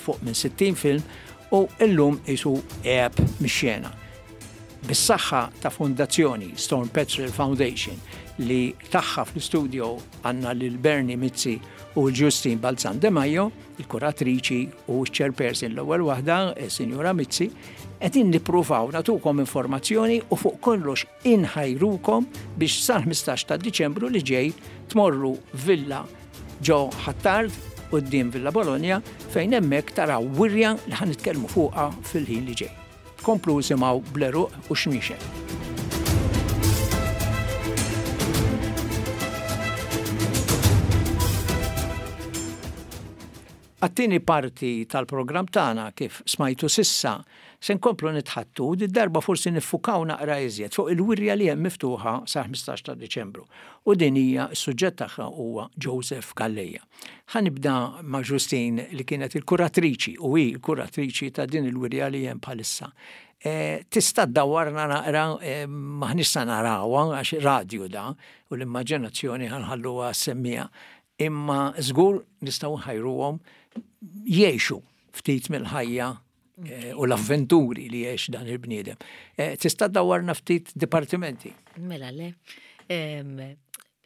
fuq minn sittin film u illum isu għeb mix-xena. Bis-saħħa ta' fondazzjoni Storm Petrel Foundation li tagħha fl-studio għandna lil Bernie Mizzi u Justine Balzan De Maio, il-kuratriċi u chairperson l-ewwel waħda, il-Sinjura Mizzi, qegħdin nippruvaw nagħtukom informazzjoni u fuq kollox inħajrukom biex sal-ħmistax ta' Diċembru li ġej tmorru Villa ġo Ħ'Attard quddiem Villa Bologna fejn hemmhekk taraw wirja li ħa nitkellmu fuqha fil-ħin li ġej. Komplu isimgħu Bl-għeruq u xniexel. Għat-tieni parti tal-programm tagħna kif smajtu sissa se nkomplu nitħattu di darba forsi niffukaw naqra iżjed fuq il-wirja li hemm miftuħa sa ħmistax ta' Diċembru. U din hija s-suġġett tagħha huwa Joseph Calleja. Ħa nibda ma' Justine li kienet il-kuratriċi u hi l-kuratriċi ta' din il-wirja li hemm bħalissa. Eh, tista' ddawwarna naqra, eh, m'aħniex sa narawha għax radio da u l-immaġinazzjoni ħa nħalluha semmija. Imma żgur nistgħu nħajruhom jgħixu ftit mill-ħajja, eh, u l-avventuri li jgħix dan il-bniedem. Eh, tista' dawwarna ftit dipartimenti? Mela le. Em,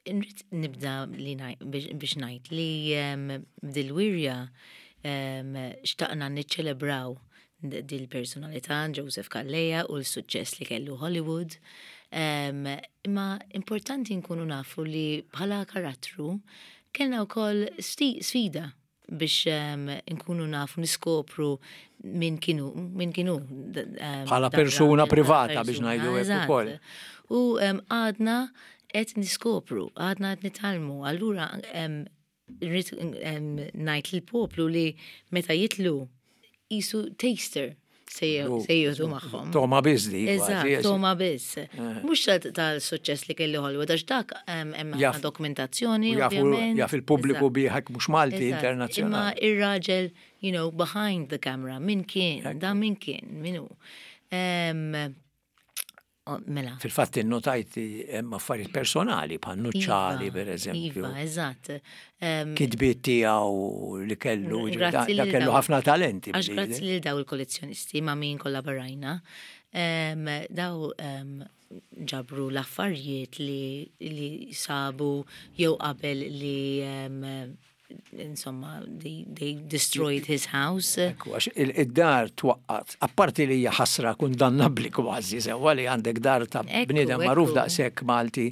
Nrid nibda li ngħid- biex biex ngħid li, em, dil-wirja, em, xtaqna niċċelebraw d-, dil-personalità Joseph Calleja u l-suċċess li kellu Hollywood. Em, imma importanti nkunu nafu li bħala karattru kellna wkoll sti-, sfida biex, em, nkunu nafu niskopru min kienu, min kienu, d-, em, Bħala dak persuna raġel, privata biex persuna, ngħidu hekk eżatt. ukoll. U, em, għadna qed niskopru, għadna qed nitgħallmu. Allura, em, rrid, em, ngħid lill-poplu li meta jitlu jisu taster se U- se jieħdu magħhom. Toma biss di, Eżatt, kważi, toma biss. Eh. Mhux tal-, tal-suċċess li kellu Hollywood, għax dak, em, hemm Jaf- ħafna dokumentazzjoni, u jafu- ovvjament. Jaf il-pubbliku Eżatt. biħak mhux Malti, Eżatt. internazzjonali. Imma ir-raġel, you know, behind the camera, min kien, da min kien, min hu. Em, o, mela. Fil-fatt innotajt hemm affarijiet personali bħal nuċċali, Iva, per eżempju. Iva, eżatt. Em, Kitbiet tiegħu li kellu, ġifieri, da Grazzi da lil kellu daw- ħafna talenti. Għax bniedem. grazzi lil daw il-kollezzjonisti ma' min kollaborajna. Em, daw, em, ġabru l-affarijiet li, li sabu jew qabel li, em, insomma, they, they destroyed his house. Ekku, għax il-, id-dar twaqqat, apparti li hija ħasra kundannabbli kważi, sewwa li għandek dar ta' Ekku, bniedem magħruf ekku. daqshekk Malti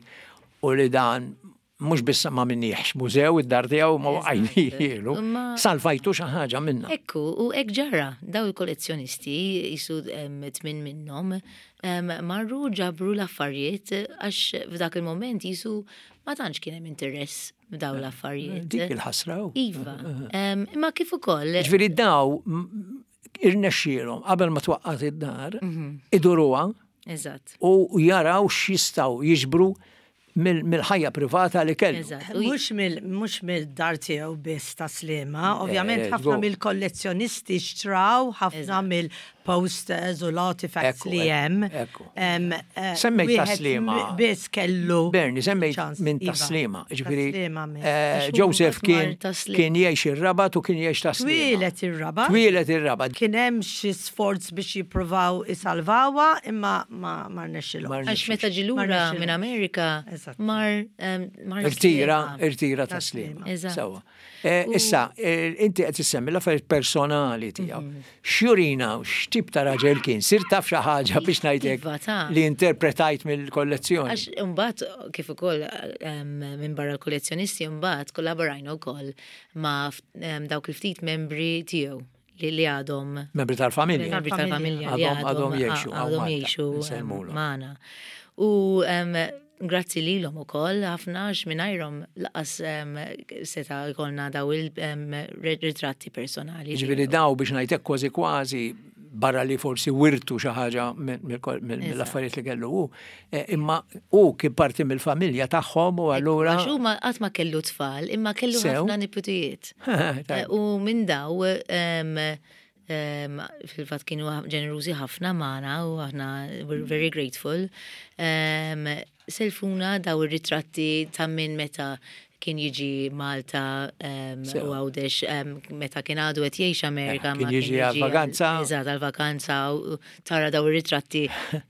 u li dan mhux biss ma minniex mużew id-dar tiegħu ma Eżatt. waqajnielu, Imma salvajtu xi ħaġa minna. Ekku, u hekk ġara, daw il-kollezzjonisti, jisu, em, tmin minnhom, em, marru ġabru l-affarijiet għax f'dak il-moment jisu ma tantx kien hemm interess f'daw l-affarijiet. Dik il-ħasra hu. Iva, em, imma kif ukoll. Ġifieri daw m-, irnexxielhom qabel ma twaqqat id-dar, Mhm. iduruha Eżatt. u jaraw x'jistgħu jiġbru mill-ħajja privata li kellu. Mhux mhux mill-dar tiegħu biss ta' Sliema, ovvjament Eh, ħafna żgur. mill-kollezzjonisti xtraw, ħafna mill-posters u l-artifacts Ekku, li hemm. ekku. Em, eh, Semmejt wieħed Ta' Sliema. Biss kellu. Bernie, semmejt ċans, minn iva. Tas-Sliema. Ġifieri, Tas-Sliema minn. eh, Għax hu Joseph mbagħad mar kien Tas-Sliema. kien jgħix ir-Rabat u kien jgħix Tas-Sliema. Twieled ir-Rabat. Twieled ir-Rabat. Kien hemm xi sforz biex jippruvaw isalvawha imma ma ma rnexxilhom. Ma Għax meta ġie Ma lura rnexxilhomx. minn Amerika, Eżatt. mar em, mar Irtira, Sliema. irtira Tas-Sliema. Eżatt. Sewwa. Eh, Issa, eh, inti qed issemmi l-affarijiet personali tiegħu. Mhm. X'jurina u x'tip ta' raġel kien? Sir taf xi ħaġa biex ngħidlek Iva, ta' li interpretajt mill-kollezzjoni. Għax imbagħad kif ukoll em, minn barra l-kollezzjonisti mbagħad kollaborajna wkoll ma' f- em, dawk il-ftit membri tiegħu li li għadhom Membri tal-familja. membri tal-familja li Għadhom- għadhom jgħixu hawn għadhom Malta, jgħixu em, insellmulhom. magħna. U em, grazzi lilhom ukoll ħafna għax mingħajrhom lanqas em, seta' jkollna daw il-ritratti personali. Ġifieri daw biex ngħidlek kważi kważi barra li forsi wirtu xi ħaġa mill-affarijiet li kellu hu, eh, imma hu kien parti mill-familja tagħhom u allura Għax huma qatt ma kellu tfal, imma kellu Sew. ħafna niputijiet. Tajb. Eh, U minn daw, em, em, fil-fatt kienu ġenerużi ħafna magħna u aħna we're very grateful. Em, Selfuna daw ir-ritratti ta' minn meta kien jiġi Malta em, Sew. u Għawdex em, meta kien għadu qed jgħix Amerika. Eh, kien ma jiġi għal-vaganza. Eżatt, għal-vakanza u tara daw ir-ritratti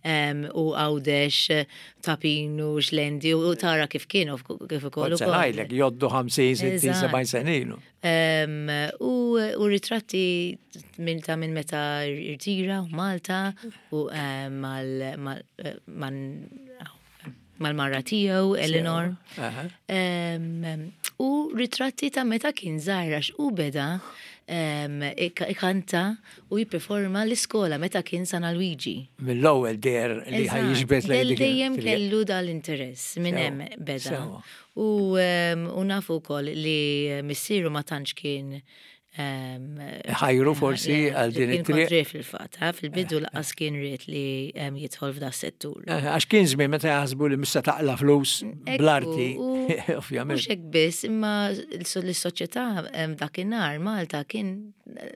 em, u Għawdex Ta' Pinu, Xlendi u tara kif kienu kif ukoll Kont se ukoll. ngħidlek jgħoddu ħamsin, sittin, Eżatt. sebgħin sena ilu. Em, U, u ritratti minn ta' minn meta irtira u Malta u em, mal, mal, eh, man- mal-mara tiegħu, Eleanor. Aha. Em, U ritratti ta' meta kien żgħir għax u beda em, ik- ikanta u jipperforma l-iskola meta kien San Alwiġi. Mill-ewwel deher li ħa jiġbed lejn Del dik dejjem il- kellu dal-interess minn Sewa, hemm beda. sewa. U em, u nafu wkoll li missieru ma tantx kien em, Ħajru forsi għal din kien it-triq. kontrih fil-fatt, ha, fil-bidu lanqas kien ried li em, jidħol f'da settur. Eh, Għax kien żmien meta jaħsbu li mista taqla flus Ekku, bl-arti, u ovvjament. Mhux hekk biss, imma l-soċjetà em, dakinhar Malta kien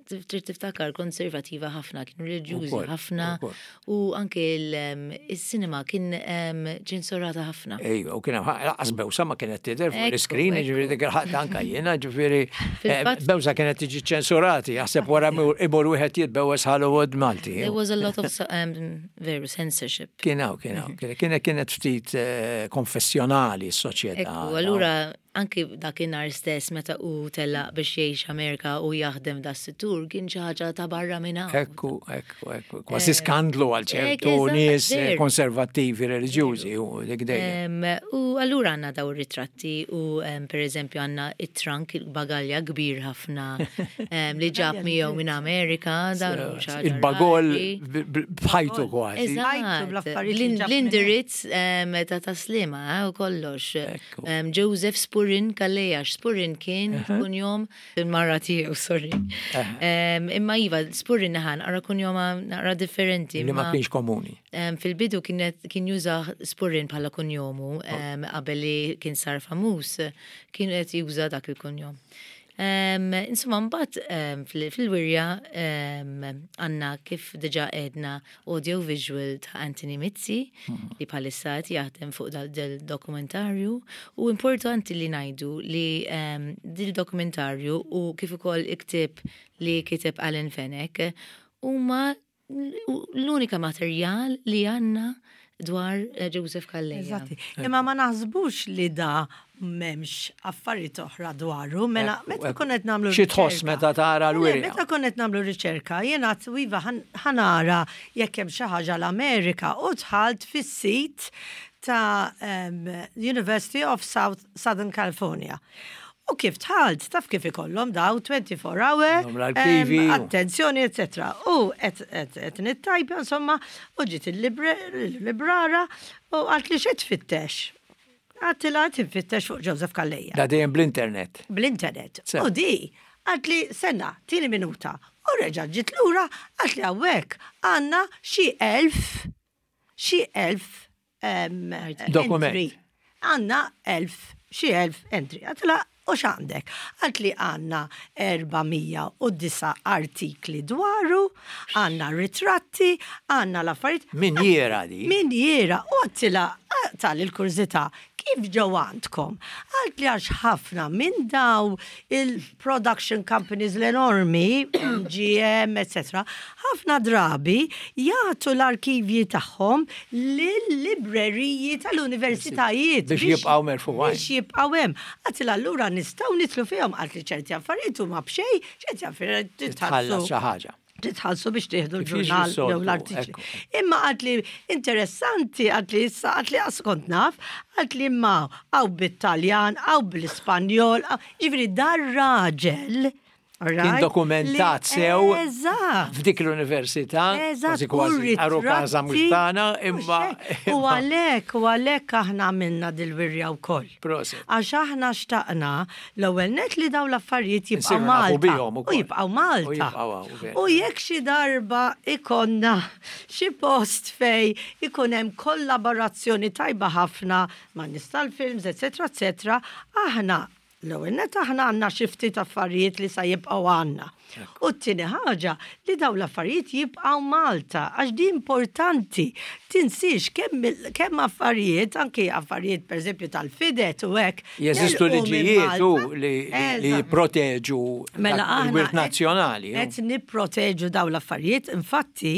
trid tiftakar konservativa ħafna, kienu reliġjużi Ukoll, ħafna ukoll. u anke il-sinema kien em, ċensurata ħafna. Ejwa, u kien hemm lanqas bewsa ma kienet tidher fuq Ekku, l-iskrin, ekku. ġifieri dik il-ħadd anka jiena, ġifieri eh, Fil-fatt- bewsa kienet tiġi ċensurati, jaħseb wara imur imur wieħed jitbewes Hollywood Malti. There was a lot of um, veru censorship. Kien hawn, kien hawn, kienet kienet ftit eh, konfessjonali s-soċjetà. Ekku, allura anki dakinhar stess meta u tellaq biex jgħix Amerika u jaħdem da settur kien xi ħaġa ta' barra minn hawn. Ekku, ekku, ekku. Kważi skandlu għal ċertu eżatt, nies eh, veru. konservattivi reliġjużi u dik dejjem. Em, U allura għandna daw ir-ritratti u em, per eżempju għandna it-trunk, il-bagalja kbir ħafna em, li ġab miegħu minn Amerika. dawn hu xi ħaġa Il-bagol rari. b- b- bħajtu kważi. Ħajtu bl-affarijiet li Eżatt, ġab minn l-indirizz em, ta' Tas-Sliema eh, u kollox. Ekku. Em, Joseph Spurin Calleja, Spurin kien kunjom il-mara tiegħu, sorry. Em, Imma iva, Spurin naħan, ara kunjoma naqra differenti. Li ma imma- kienx komuni. Em, Fil-bidu kienet kien juża Spurin bħala kunjomu em, qabel li kien sar famuż, kien qed juża dak il-kunjom. Um, insomma, mbagħad um, fil-wirja um, għandna kif diġà għedna audio-visual ta' Anthony Mizzi li bħalissa qed jaħdem fuq dal-dokumentarju u importanti li ngħidu li um, dil-dokumentarju u kif ukoll il-ktieb li kiteb Alan Fenech huma l-unika materjal li għandna dwar eh, Joseph Calleja. Eżatti. Imma ma naħsbux li da m'hemmx affarijiet oħra dwaru, mela Ekku, meta ekku. konna nagħmlu Xi tħoss riċerka- meta tara Le, l-wirja? Meta konna nagħmlu riċerka, jiena għedt iva ħa nara jekk hemm xi ħaġa l-Amerika u dħalt fis-sit ta' um, University of South, Southern California. U kif dħalt, taf kif ikollhom daw twenty-four hour, Għandhom l-arkivi em, u- attenzjoni, eccetera. U qed nittajpja, insomma, u ġiet il-librara u qaltli, "Xi tfittex?" Għedtilha nfittex fuq Joseph Calleja. Da dejjem bl-internet. Bl-internet. Sew. U di, qaltli, "Stenna, tini minuta." U reġa ġiet lura, qaltli, "Hawnhekk għandna xi elf, xi elf em, Dokument. entry. Għandna elf, xi elf entry. Għedtilha, u x'għandek? Qaltli għandna erba' mija u disa' artikli dwaru, għandna ritratti, għandna l-affarijiet. Minjiera di. Minjiera, u għedtilha tal-kurżità, kif ġew għandkom? Qaltli għax ħafna minn daw il-production companies l-enormi, M G M, et cetera, ħafna drabi jagħtu l-arkivji tagħhom lill-libreriji tal-universitajiet. Biex jibqgħu merfugħin. Biex jibqgħu hemm. Għedtilha allura nistgħu nidħlu fihom, qaltli ċerti affarijiet huma b'xejn, ċerti affarijiet titħallas xi ħaġa. Titħallsu biex tieħdu Kif jiġri l-ġurnal s-soltu, jew l-artikli. Ekku. Imma qaltli interessanti, qaltli issa, qaltli għax kont naf, qaltli imma hawn bit-Taljan, hawn bl-Ispanjol, ġifieri dar raġel. Kien Alright, dokumentat li- sew Eżatt. f'dik l-università, Eżatt, kważi kważi u għarukaża mhux ritratti, tagħna, u imma. xek. U għalhekk, u għalhekk aħna għamilna dil-wirja wkoll. Prosit. Għax aħna xtaqna l-ewwel net li daw l-affarijiet jibqgħu Insiru nafu Malta. bihom U ukoll. jibqgħu Malta. U jibqgħu hawn, veru. U jekk xi darba ikollna xi post fej ikun hemm kollaborazzjoni tajba ħafna ma' nies tal-films, eċetera, eċetera, aħna l-ewwel net aħna għandna xi ftit affarijiet li sa jibqgħu għandna. U t-tieni ħaġa li daw l-affarijiet jibqgħu Malta, għax di importanti. Tinsiex kemm kemm affarijiet, anki affarijiet pereżempju tal-fidet u hekk. Jeżistu telqu minn liġijiet u Malta. li li Eżatt. jipproteġu Mela dak aħna il-wirt qed- nazzjonali. Qed nipproteġu daw l-affarijiet. Infatti,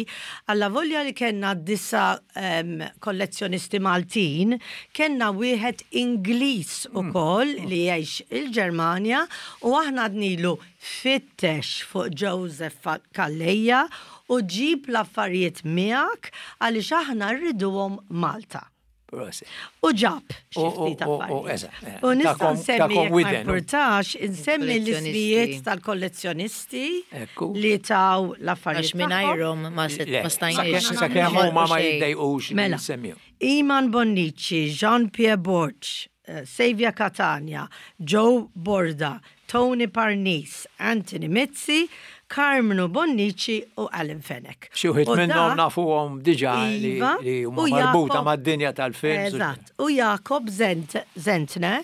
alla volja li kellna disa' um, kollezzjonisti Maltin, kellna wieħed Ingliż ukoll li jgħix il-Ġermanja u aħna għednilu fittex fuq Joseph Calleja u ġib l-affarijiet miegħek għaliex aħna rriduhom Malta. Prosit. U ġab xi U- ftit u- u- affarijiet. Eżatt, eh, U nista' takom- nsemmi takom jekk ma widen. importax, insemmi Kollezzjonisti. l-ismijiet tal-kollezzjonisti Ekku. li taw l-affarijiet Għax tagħhom. mingħajrhom ma set- Le, ma stajniex. sakemm huma ma xejn. jiddejqux li Mela. nsemmihom. Iman Bonnici, Jean-Pierre Borg, eh, Savia Catania, Joe Borda, Tony Parnis, Anthony Mizzi, Carmenu Bonnici u Alan Fenech. Xi wħud U minnhom da- nafuhom diġà li Iva, li huma u marbuta Jakob- mad-dinja tal-films. Eżatt. U Jakob Zent, Zentner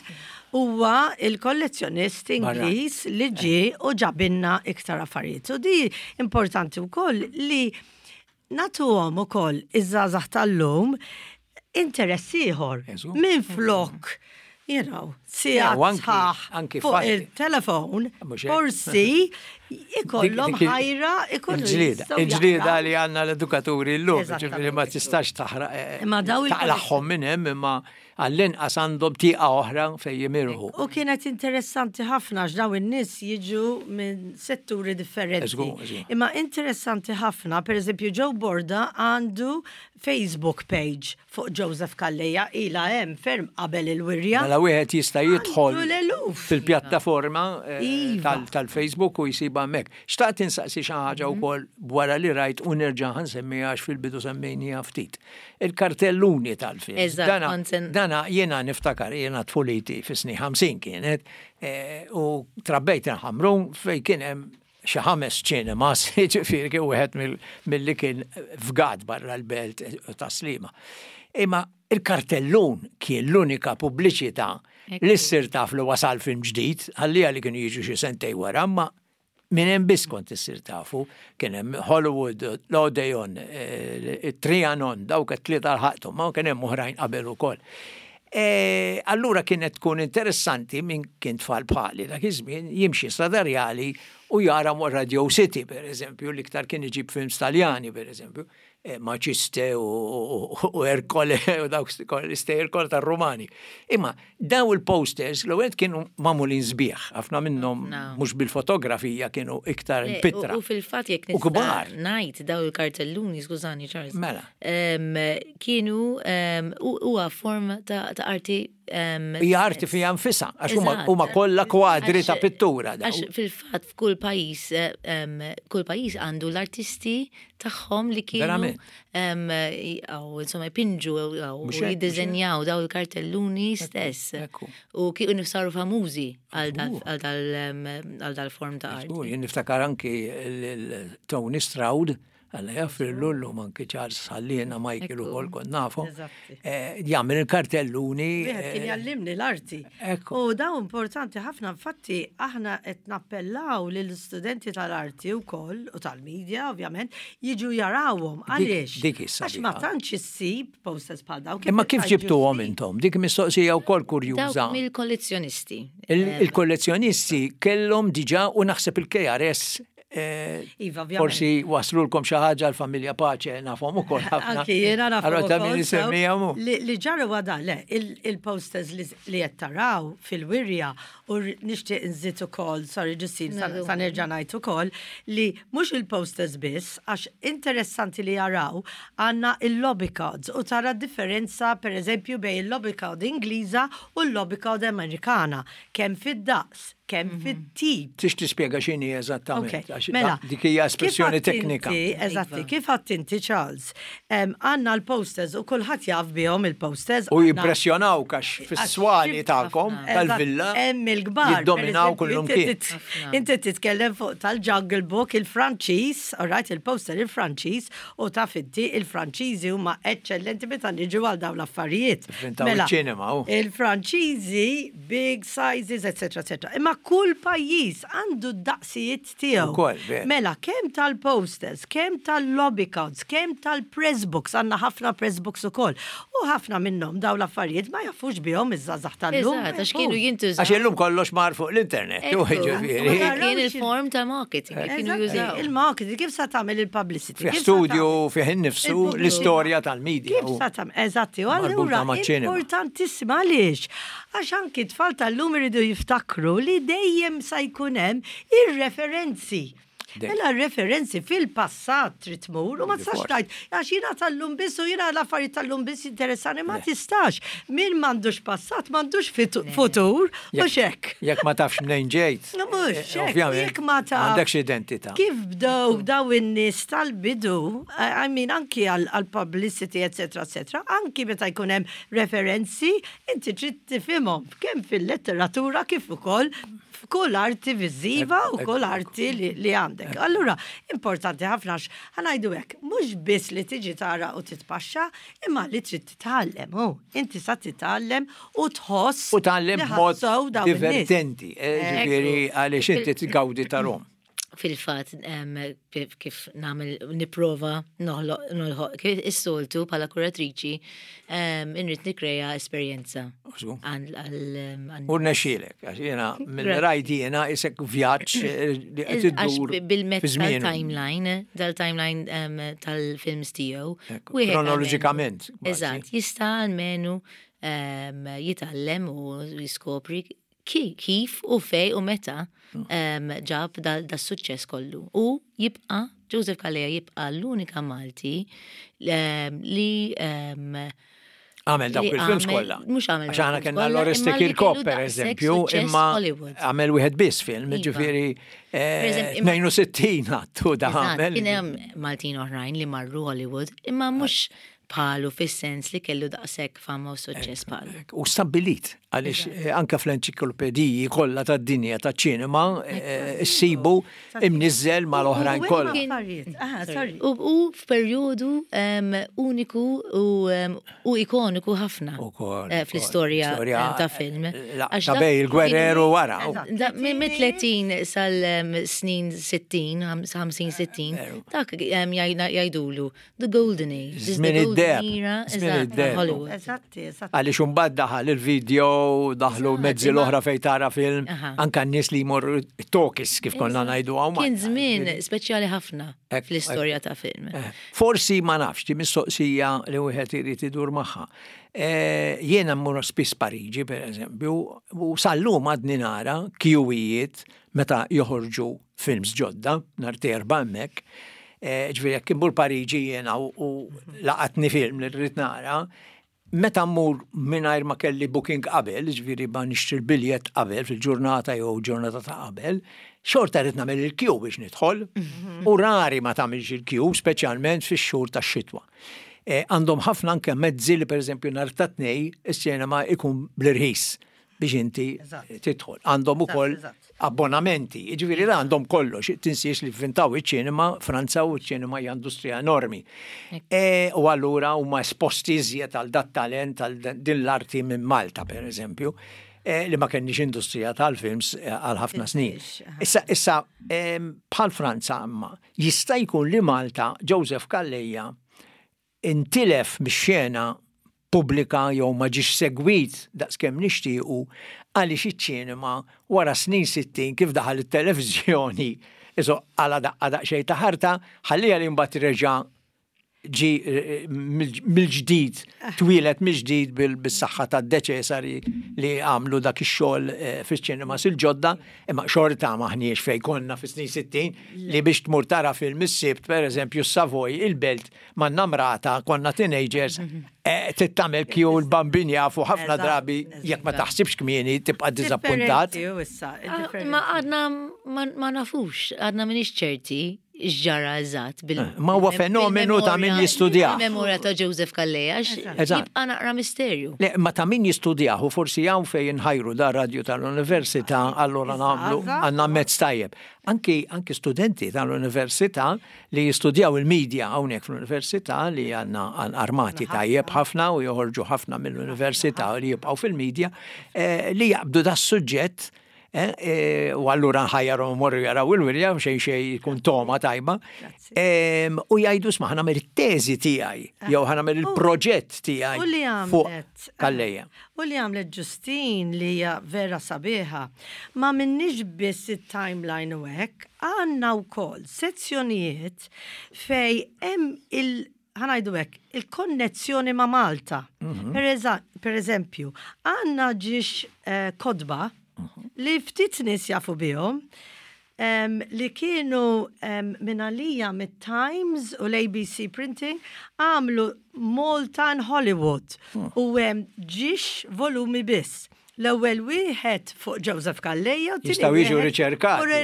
huwa il-kollezzjonist Ingliż li ġie u ġabilna iktar affarijiet. U di importanti wkoll li nagħtuhom ukoll iż-żgħażagħ tal-lum interess ieħor Eżu. minn flok you know, sigħat u anki- sħaħ anki fuq fatti. il-telefon, Mhux hekk. forsi ikollhom Dik- dik il- ħajra ikunu Il-ġlieda, jistgħu il-ġlieda jaqraw. li għandna l-edukaturi l-lum, Eżattament. ġifieri ma tistax taħraq, eh, Imma daw il- taqlagħhom minn hemm imma għall-inqas għandhom tieqa oħra fejn jimirħu. U kienet interessanti ħafna għax daw in-nies jiġu minn setturi differenti. Eżgu, eżgu. Imma interessanti ħafna, per eżempju, Joe Borda għandu Facebook page fuq Joseph Calleja ila hemm ferm qabel il-wirja. Mela wieħed jista' jidħol Għandu l-eluf. fil-pjattaforma eh, Iva. tal- tal-Facebook u jsibha hemmhekk. Xtaqt insaqsi xi ħaġa wkoll wara li rajt u nerġa' ħansemmiha għax fil-bidu semmejniha ftit. Il-kartelluni tal-film. Eżatt, Dana, kont sen- dana jiena niftakar jiena tfuliti fis-snin ħamsin kienet eh, u trabbejt il-Ħamrun fejn kien hemm xi ħames ċinemas, ġifieri kien wieħed mill- milli kien fgat barra l-belt ta' Sliema. Imma il-kartellun kien l-unika pubbliċità li ssir taf li wasal film ġdid, għallija li kienu jiġu xi sentej wara, imma minn hemm biss kont issir tafu, kien hemm Hollywood, l-Odeon, eh, Trianon, dawk it-tlieta lħaqthom, ma kien hemm oħrajn qabel ukoll. E, allura kienet tkun interessanti minn kien tfal bħali dak iż-żmien jimxi Strada Rjali u jara mo Radio City, per eżempju, l-iktar kien iġib films Taljani, per eżempju, e, Maciste u, u, u Ercole u dawk l-istejjer kollha tar-Rumani. Imma daw il-posters l-ewwel kienu magħmulin sbieħ, ħafna minnhom No. mhux bil-fotografija kienu iktar Le, pitra. U u fil-fatt jekk U kbar. nista' ngħid daw il-kartelluni, skużani Charles. Mela. Em, Kienu em, u- huwa form ta' ta' arti em, Hija arti fija nfisha, għax huma Eżatt. huma kollha kwadri ta' Għax- pittura daw. Għax fil-fatt f'kull pajjiż eh, em, kull pajjiż għandu l-artisti tagħhom li kienu Verament. em, għaw, insomma jpinġu għaw, Mhux u hekk, jiddiżenjaw daw il-kartelluni stess. ekku. U kienu saru famużi għal dal- għal dal- em, għal dal-form ta' arti. Żgur, jien niftakar anki l- Tony Stroud Alla jaħfirlu, llum anki Charles ħalliena, Michael ukoll kont nafu. Eżatti. Eh, Jagħmel il-kartelluni. Wieħed kien eh, jallimni l-arti. Ekku. U daw importanti ħafna, infatti aħna qed nappellaw lill-istudenti tal-arti wkoll u tal-medja ovvjament jiġu jarawhom. Għaliex? Dik issa Għax ma dika. tantx issib posters bħal daw. Imma kif ġibtuhom intom? Dik mistoqsija wkoll kurjuża. Dawk mill-kollezzjonisti. Il- Il-kollezzjonisti kellhom diġà u naħseb il-K R S eh, Iva, ovvjament. forsi waslulkom xi ħaġa l-familja Pace, nafhom ukoll ħafna. Anki jiena naf Allora ta' min ukoll, sew. isemmihom hu. Li li ġara wada, le, il- il-posters li li qed taraw fil-wirja u r- nixtieq nżid ukoll, sorry Ġustin, sa No. sa nerġa' ngħid ukoll li mhux il-posters biss, għax interessanti li jaraw għandna il-lobby cards u tara differenza, per eżempju, bejn il-lobby card Ingliża u l-lobby card Amerikana, kemm fid-daqs, kemm fit-tip. Tix tispjega x'inhi eżattament, Ok, għax mela, dik hija espressjoni kif għadt teknika. inti- Eżatti, Iva. kif għadt inti, Charles, em, għandna l-posters u kulħadd jaf bihom il-posters. U għandna- jimpressjonaw għax fis-swali tagħkom Eżatt, tal-villa hemm il-kbar. jiddominaw Per eżempju, kullum inti kien. tit- Inti titkellem fuq tal-Jungle Book il-Franċiż, all right, il-poster il-Franċiż, u taf inti il-Franċiżi huma eċċellenti meta niġu għal dawn l-affarijiet. Ivvintaw Mela, iċ-ċinema, u. il-Franċiżi, big sizes, eccetera, eccetera. Imma kull pajjiż għandu d-daqsijiet tiegħu. Ukoll, veru. Mela, kemm tal-posters, kemm tal-lobby cards, kemm tal-press books, għandna ħafna press books ukoll. U ħafna minnhom dawn l-affarijiet ma jafux bihom iż-żgħażagħ tal-lum. Eżatt, għax kienu jintużaw. Għax illum kollox mar fuq l-internet. U Ekku. ġifieri. Kien il-form ta' marketing li kienu Eżatti, jużaw. il-marketing, kif sa tagħmel il-publicity? Fih Kif sa studio, tagħmel- fih innifsu Il-pubbliku. l-istorja tal-medja. Kif u- sa tagħmel? Eżatti, u Marbuta allura maċ-ċinema. importantissima għaliex? Għax anki tfal tal-lum iridu jiftakru li dejjem sa jkun hemm ir-referenzi. Dejjem. Mela referenzi fil-passat trid tmur u ma tistax Forsi. tgħid għax jiena tal-lum biss u jiena l-affarijiet tal-lum biss interessani, ma tistax. Min m'għandux passat m'għandux fitu- futur u hekk. Jekk ma tafx mnejn ġejt. No, mhux, eh, hekk, ovvjament, jekk ma taf. M'għandekx identità. Kif bdew daw in-nies tal-bidu, I I mean, anki għal-publicity, eccetera, eccetera, anki meta jkun hemm referenzi, inti trid tifhimhom kemm fil-letteratura kif ukoll f'kull arti viżiva u kull arti li, li għandek. Allura, importanti ħafna għax ħa ngħidu hekk, mhux biss li tiġi tara u titpaxxa, imma li trid titgħallem, hu. Inti sa titgħallem u tħoss U tgħallem li b'mod ħassew dawn in-nies. divertenti, eh, ġifieri għaliex inti tgawdi tarahom. Fil-fat, em, kif- kif nagħmel nipprova noħloq noħloq kif is-soltu bħala kuratriċi, em, inrid nikreja esperjenza. Użgu. Għal- għal- għal- U rnexxielek, għax jiena minn Gra- rajt jiena isek vjaġġ eh, li qed Għax iddur bil-mezz fi żmienu. tal-timeline, dal-timeline em, tal-films tiegħu. Ekku, wieħed kronoloġikament, almenu- kważi. Eżatt, jista' almenu em, jitgħallem u jiskopri ki- kif u fej u meta em, ġab da suċċess kollu. U jibqa', Joseph Calleja jibqa' l-unika Malti em, li em, Għamel dawk li il-films għamel- kollha. mhux għamel Għax dawk aħna il-films kellna kollha, l-Oreste imma li Kirkop, kellu per daqshekk eżempju, suċċess imma Hollywood. għamel wieħed biss film, Iva. ġifieri eh, eżempju, imma- tnejn u sittin għattu da Eżatt, għamel. kien hemm Maltin oħrajn li marru Hollywood, imma mhux bħalu fis-sens li kellu daqshekk fama u suċċess bħalu. U stabbilit, għaliex eh, anka fl-enċiklopediji kollha tad-dinja taċ-ċinema eh, issibu imniżżel mal-oħrajn U hemm kollha. affarijiet. Aha, sorry. U, u f'perjodu em, uniku u, em, u ikoniku ħafna Ukoll, eh, ukoll. fl-istorja Storja, em, ta' film. la- Għax ta' dak bej il-gwerer u wara. Eżatt. Da, minn minn tletin sal-snin sittin, ħamsin sittin, dak em, jgħidna- jgħidulu the golden age, this is the Żmien golden id-deheb, era, żmien eżatt, ta' id-deheb. Hollywood. Eżatti, eżatti. Għaliex imbagħad daħal il-video, daħlu Eżatt, mezzi imma- l-oħra fej tara film, Aha. anka n-nies li jmorru talkies kif konna ngħidu hawn. Kien żmien speċjali ħafna Ek- fl-istorja ta' film. Eh, Forsi ma nafx, di mistoqsija li wieħed irid idur magħha. Eh, Jiena mmur spiss Pariġi, per eżempju, u sal-lum għadni nara kjuwijiet meta joħorġu films ġodda, nhar t'Erbgħa hemmhekk. Eh, Ġifieri jekk immur Pariġi jiena u u laqatni film li rrid nara, meta mmur mingħajr ma kelli booking qabel, ġifieri ma nixtri l-biljett qabel fil-ġurnata jew ġurnata ta' qabel, xorta rrid nagħmel il-queue biex nidħol, u rari ma tagħmilx il-queue, speċjalment fix-xhur tax-xitwa. Eh, Għandhom ħafna anke mezzi li pereżempju nhar ta' Tnejn is-sinema ikun bl-irħis. biex inti tidħol. Għandhom ukoll abbonamenti, jiġifieri la għandhom kollox, tinsiex li vvintaw iċ-ċinema, Franza u ċ-ċinema hija industrija enormi. E, u allura huma esposti iżjed għal dat talent, għal din l-arti minn Malta, per eżempju, e, li ma kenniex industrija tal-films e, għal ħafna snin. Issa, issa bħal Franza imma, jista' jkun li Malta, Joseph Calleja, intilef mix-xena pubblika jew ma ġiex segwit daqskemm nixtiequ għaliex iċ-ċinema wara snin sittin kif daħal it-televiżjoni iso għala daqqa daqsxejn ta' ħarta ħallija li mbagħad reġa' ġi eh, mill-ġdid, twieled mill-ġdid bis-saħħa ta' De Cesari li għamlu dak ix-xogħol eh, fiċ-ċinemas il-ġodda, imma xorta maħniex fej konna fis-snin sittin li biex tmur tara film is-Sibt, per eżempju, Savoy, il-Belt, ma' namrata, konna teenagers, eh, tittamel kju l-bambin jafu ħafna drabi jekk ma taħsibx kmieni tibqa' diżappuntat. Ah, ma għadna ma nafux, għadna minix ċerti x'ġara eżatt. Eh, ma huwa fenomenu ta' min jistudjah. Memorja ta' Joseph Calleja, jibqa' naqra misterju. Le, ma ta' min jistudjah u forsi hawn fejn inħajru da radju tal-università, allura nagħmlu għandna mezz tajjeb. Anki, anki studenti tal-università li jistudjaw il-medja hawnhekk fl-università li għandna armati tajjeb ħafna u joħorġu ħafna mill-università li jibqgħu fil-medja eh, li jaqbdu da suġġett Eh, eh, u allura nħajjarhom morru jaraw il-wirja, xejn xejn jkun toma tajba. U jgħidu sma ħa nagħmel it-teżi tiegħi, ah. jew ħa nagħmel il-proġett tiegħi. U li għamlet. Calleja. U li għamlet Ġustin li hija vera sabiħa. Ma minnix biss it-timeline u hekk, għandna wkoll sezzjonijiet fej hemm il- ħa ngħidu hekk, il-konnezzjoni ma' Malta. Mhm. Per eżempju, għandna ġiex eh, kotba li ftit nies jafu bihom, um, li kienu um, minn għalija mit-Times u l-A B C Printing għamlu Malta and Hollywood hmm. u um, ġiex volumi biss. L-ewwel wieħed fuq Joseph Calleja. Jistgħu jiġu riċerkati.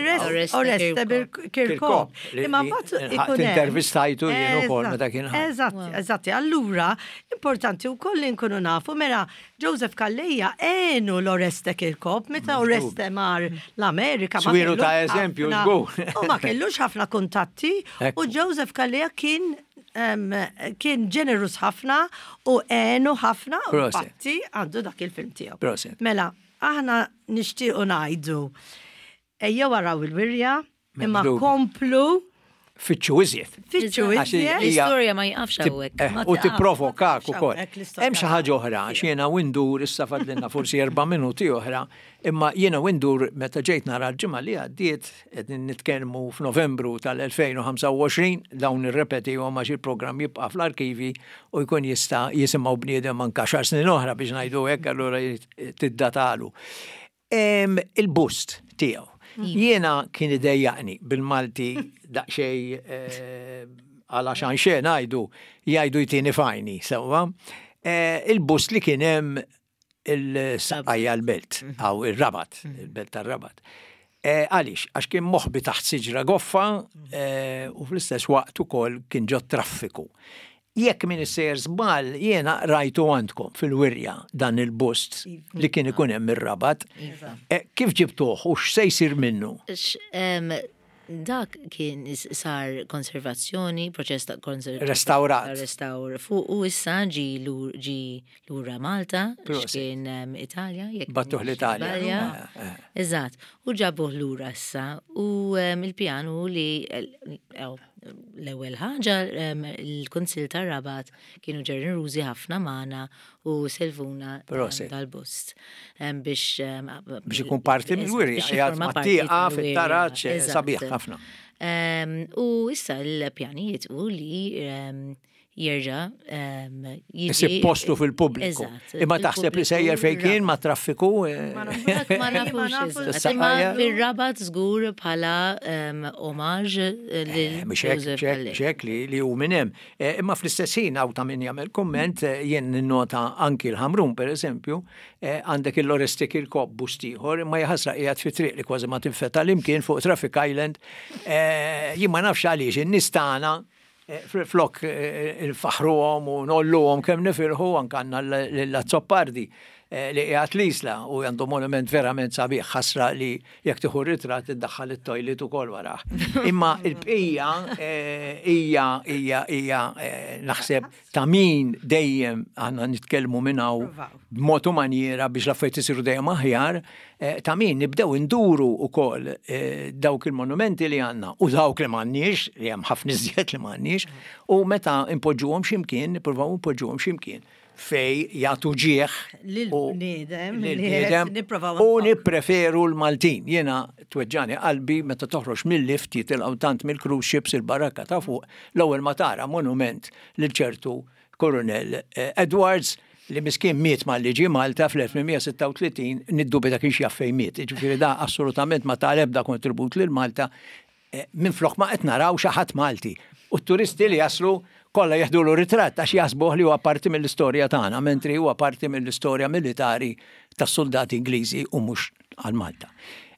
Oreste Kirkop. Imma mbagħad ikun intervistajtu jien ukoll meta kien. Eżatt, eżatt. Allura, importanti wkoll li nkunu nafu mela Joseph Calleja għenu l-Oreste Kirkop meta Oreste mar l-Amerika. Swielu ta' eżempju, żgur. U ma kellux ħafna kuntatti u Joseph Calleja kien kien ġenerus ħafna u għenu ħafna u fatti għandu dak il-film tiegħu. Mela, aħna nixtiequ ngħidu ejjew waraw il-wirja, imma komplu Fittxu iżjed. Fittxu iżjed. L-istorja ma jqafx hawnhekk. Eh, u tipprovokak ukoll. Hemm xi ħaġa oħra, għax jiena windur issa fadlilna forsi erba' minuti oħra, imma jiena windur meta ġejt nara l-ġimgħa li għaddiet, qegħdin nitkellmu f'Novembru tal-elfejn u ħamsa u għoxrin, dawn irrepetihom għax il-programm jibqa' fl-arkivi u jkun jista' jisimgħu bniedem anke xar snin oħra biex ngħidu hekk, allura tiddatalu. Il-bust tiegħu. Jiena kien idejjaqni bil-Malti daqsxejn eh, għal xan xejn ngħidu jgħidu jtini fajni, sewwa. Eh, il-bust li kien hemm il-Saqqajja l-Belt, aw il-Rabat, il-Belt tar-Rabat. Eh, għaliex, għax kien moħbi taħt siġra goffa u fl-istess waqt ukoll kien ġo traffiku. Jekk min issejjer żball, jiena rajtu għandkom fil-wirja dan il-bust li kien ikun hemm ir-Rabat. Iva. Kif ġibtuh u x'se jsir minnu? Dak kien sar konservazzjoni, proċess ta' konservazzjoni. Restawrat. Restawr fuq u issa ġi ġi lura Malta, x'kien Italja. Bagħtuh l-Italja. Eh, eh. Eżatt, u ġabuh lura issa u il-pjanu li l-ewwel ħaġa il-Kunsill tar-Rabat kienu ġenerużi ħafna magħna u selfuna dal-bust biex biex ikun parti mill-wirja, qiegħed mat-tieqa fit-taraġ sabiħ ħafna. U issa l-pjanijiet u li jerġa' jiġi postu fil-pubbliku. Imma taħseb li sejjer fejn kien ma' traffiku? Eh? Ma nafux. Imma fir-Rabat żgur bħala omaġ lil eh, Ċek li li hu minn hemm. Eh, imma fl-istess ħin hawn ta' min jagħmel kumment, jien ninnota anki l-Ħamrun pereżempju, għandek il-Oreste Kirkop bust ieħor, imma jaħasra qiegħed fi triq li kważi ma tinfeta l-imkien fuq Traffic Island. Jien ma nafx għaliex in-nies tagħna Eh, flok eh, il-faħruhom u nolluhom kemm nifirħu anke għandna l-Azzopardi. eh, li qiegħed l-Isla u għandu monument verament sabiħ, ħasra li jekk tieħu ritratt iddaħħal it-toilet ukoll warah. Imma il-bqija eh, hija hija hija eh, naħseb ta' min dejjem għandna nitkellmu minn hawn Provaw. b'mod u maniera biex l-affarijiet isiru dejjem aħjar, eh, ta' min nibdew induru ukoll eh, dawk il-monumenti li għandna u dawk li m'għandniex, li hemm ħafna iżjed li m'għandniex, u meta impoġġuhom x'imkien, nippruvaw impoġġuhom x'imkien fej jagħtu ġieħ Lil-bniedem li lil-bniedem qed nipprovaw u nfakru. nippreferu l-Maltin. Jiena tweġġani qalbi meta toħroġ mill-lift jitilgħu tant mill-cruise ships il-barrakka ta' fuq, l-ewwel ma tara monument lil ċertu Coronel eh, Edwards li miskin miet malli ġie Malta fl-elf tmien mija u sitta u tletin, niddubita kienx jaf fejn miet. Ġifieri da assolutament ma ta l-ebda kontribut lil Malta eh, minn flok ma qed naraw xi ħadd Malti. U t-turisti li jaslu kollha jeħdulu ritratt għax jaħsbuh li huwa parti mill-istorja tagħna, mentri huwa parti mill-istorja militari tas-soldati Ingliżi u mhux għal Malta.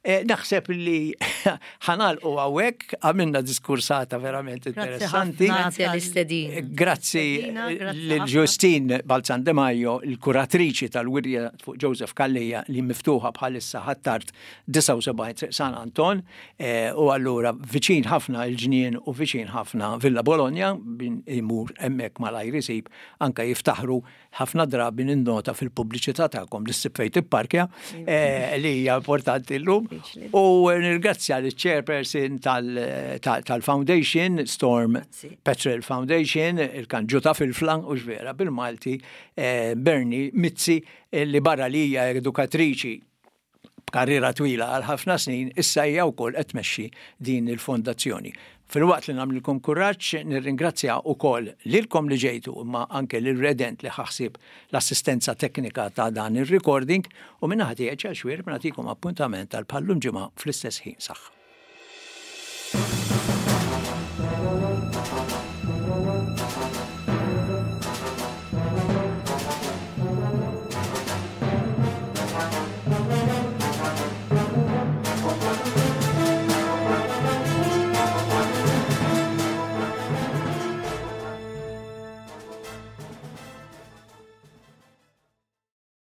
Eh, naħseb li ħa nagħlqu hawnhekk, għamilna diskursata verament interessanti. Ħafna. Grazzi għall-istedina. Grazzi Stedina, grazzi lil ħafna. Justine Balzan De Majo, il-kuratriċi tal-wirja fuq Joseph Calleja li miftuħa bħalissa Ħ'Attard disgħa u sebgħin Triq San Anton, eh, u allura viċin ħafna il-ġnien u viċin ħafna Villa Bologna, min imur hemmhekk malajr isib, anka jiftaħru ħafna drabi ninnota fil-pubbliċità tagħkom li ssib fejn tipparkja, eh, li hija importanti llum. Diffiċli. U nirgrazzja l-chairperson tal- tal- tal-Foundation, Storm Grazzi. Petrel Foundation, il-kanġu ta' Filfla, u vera bil-Malti, eh, Bernie Mizzi, eh, li barra li hija edukatriċi b'karriera twila għal ħafna snin, issa hija wkoll qed tmexxi din il-fondazzjoni. Filwaqt li nagħmlilkom kuraġġ, nirringrazzja wkoll lilkom li ġejtu, imma anke lil Redent li ħa ħsieb l-assistenza teknika ta' dan ir-recording, u minn naħa tiegħi, Xwir, nagħtikom appuntament għal bħal-lum ġimgħa fl-istess ħin. Saħħa.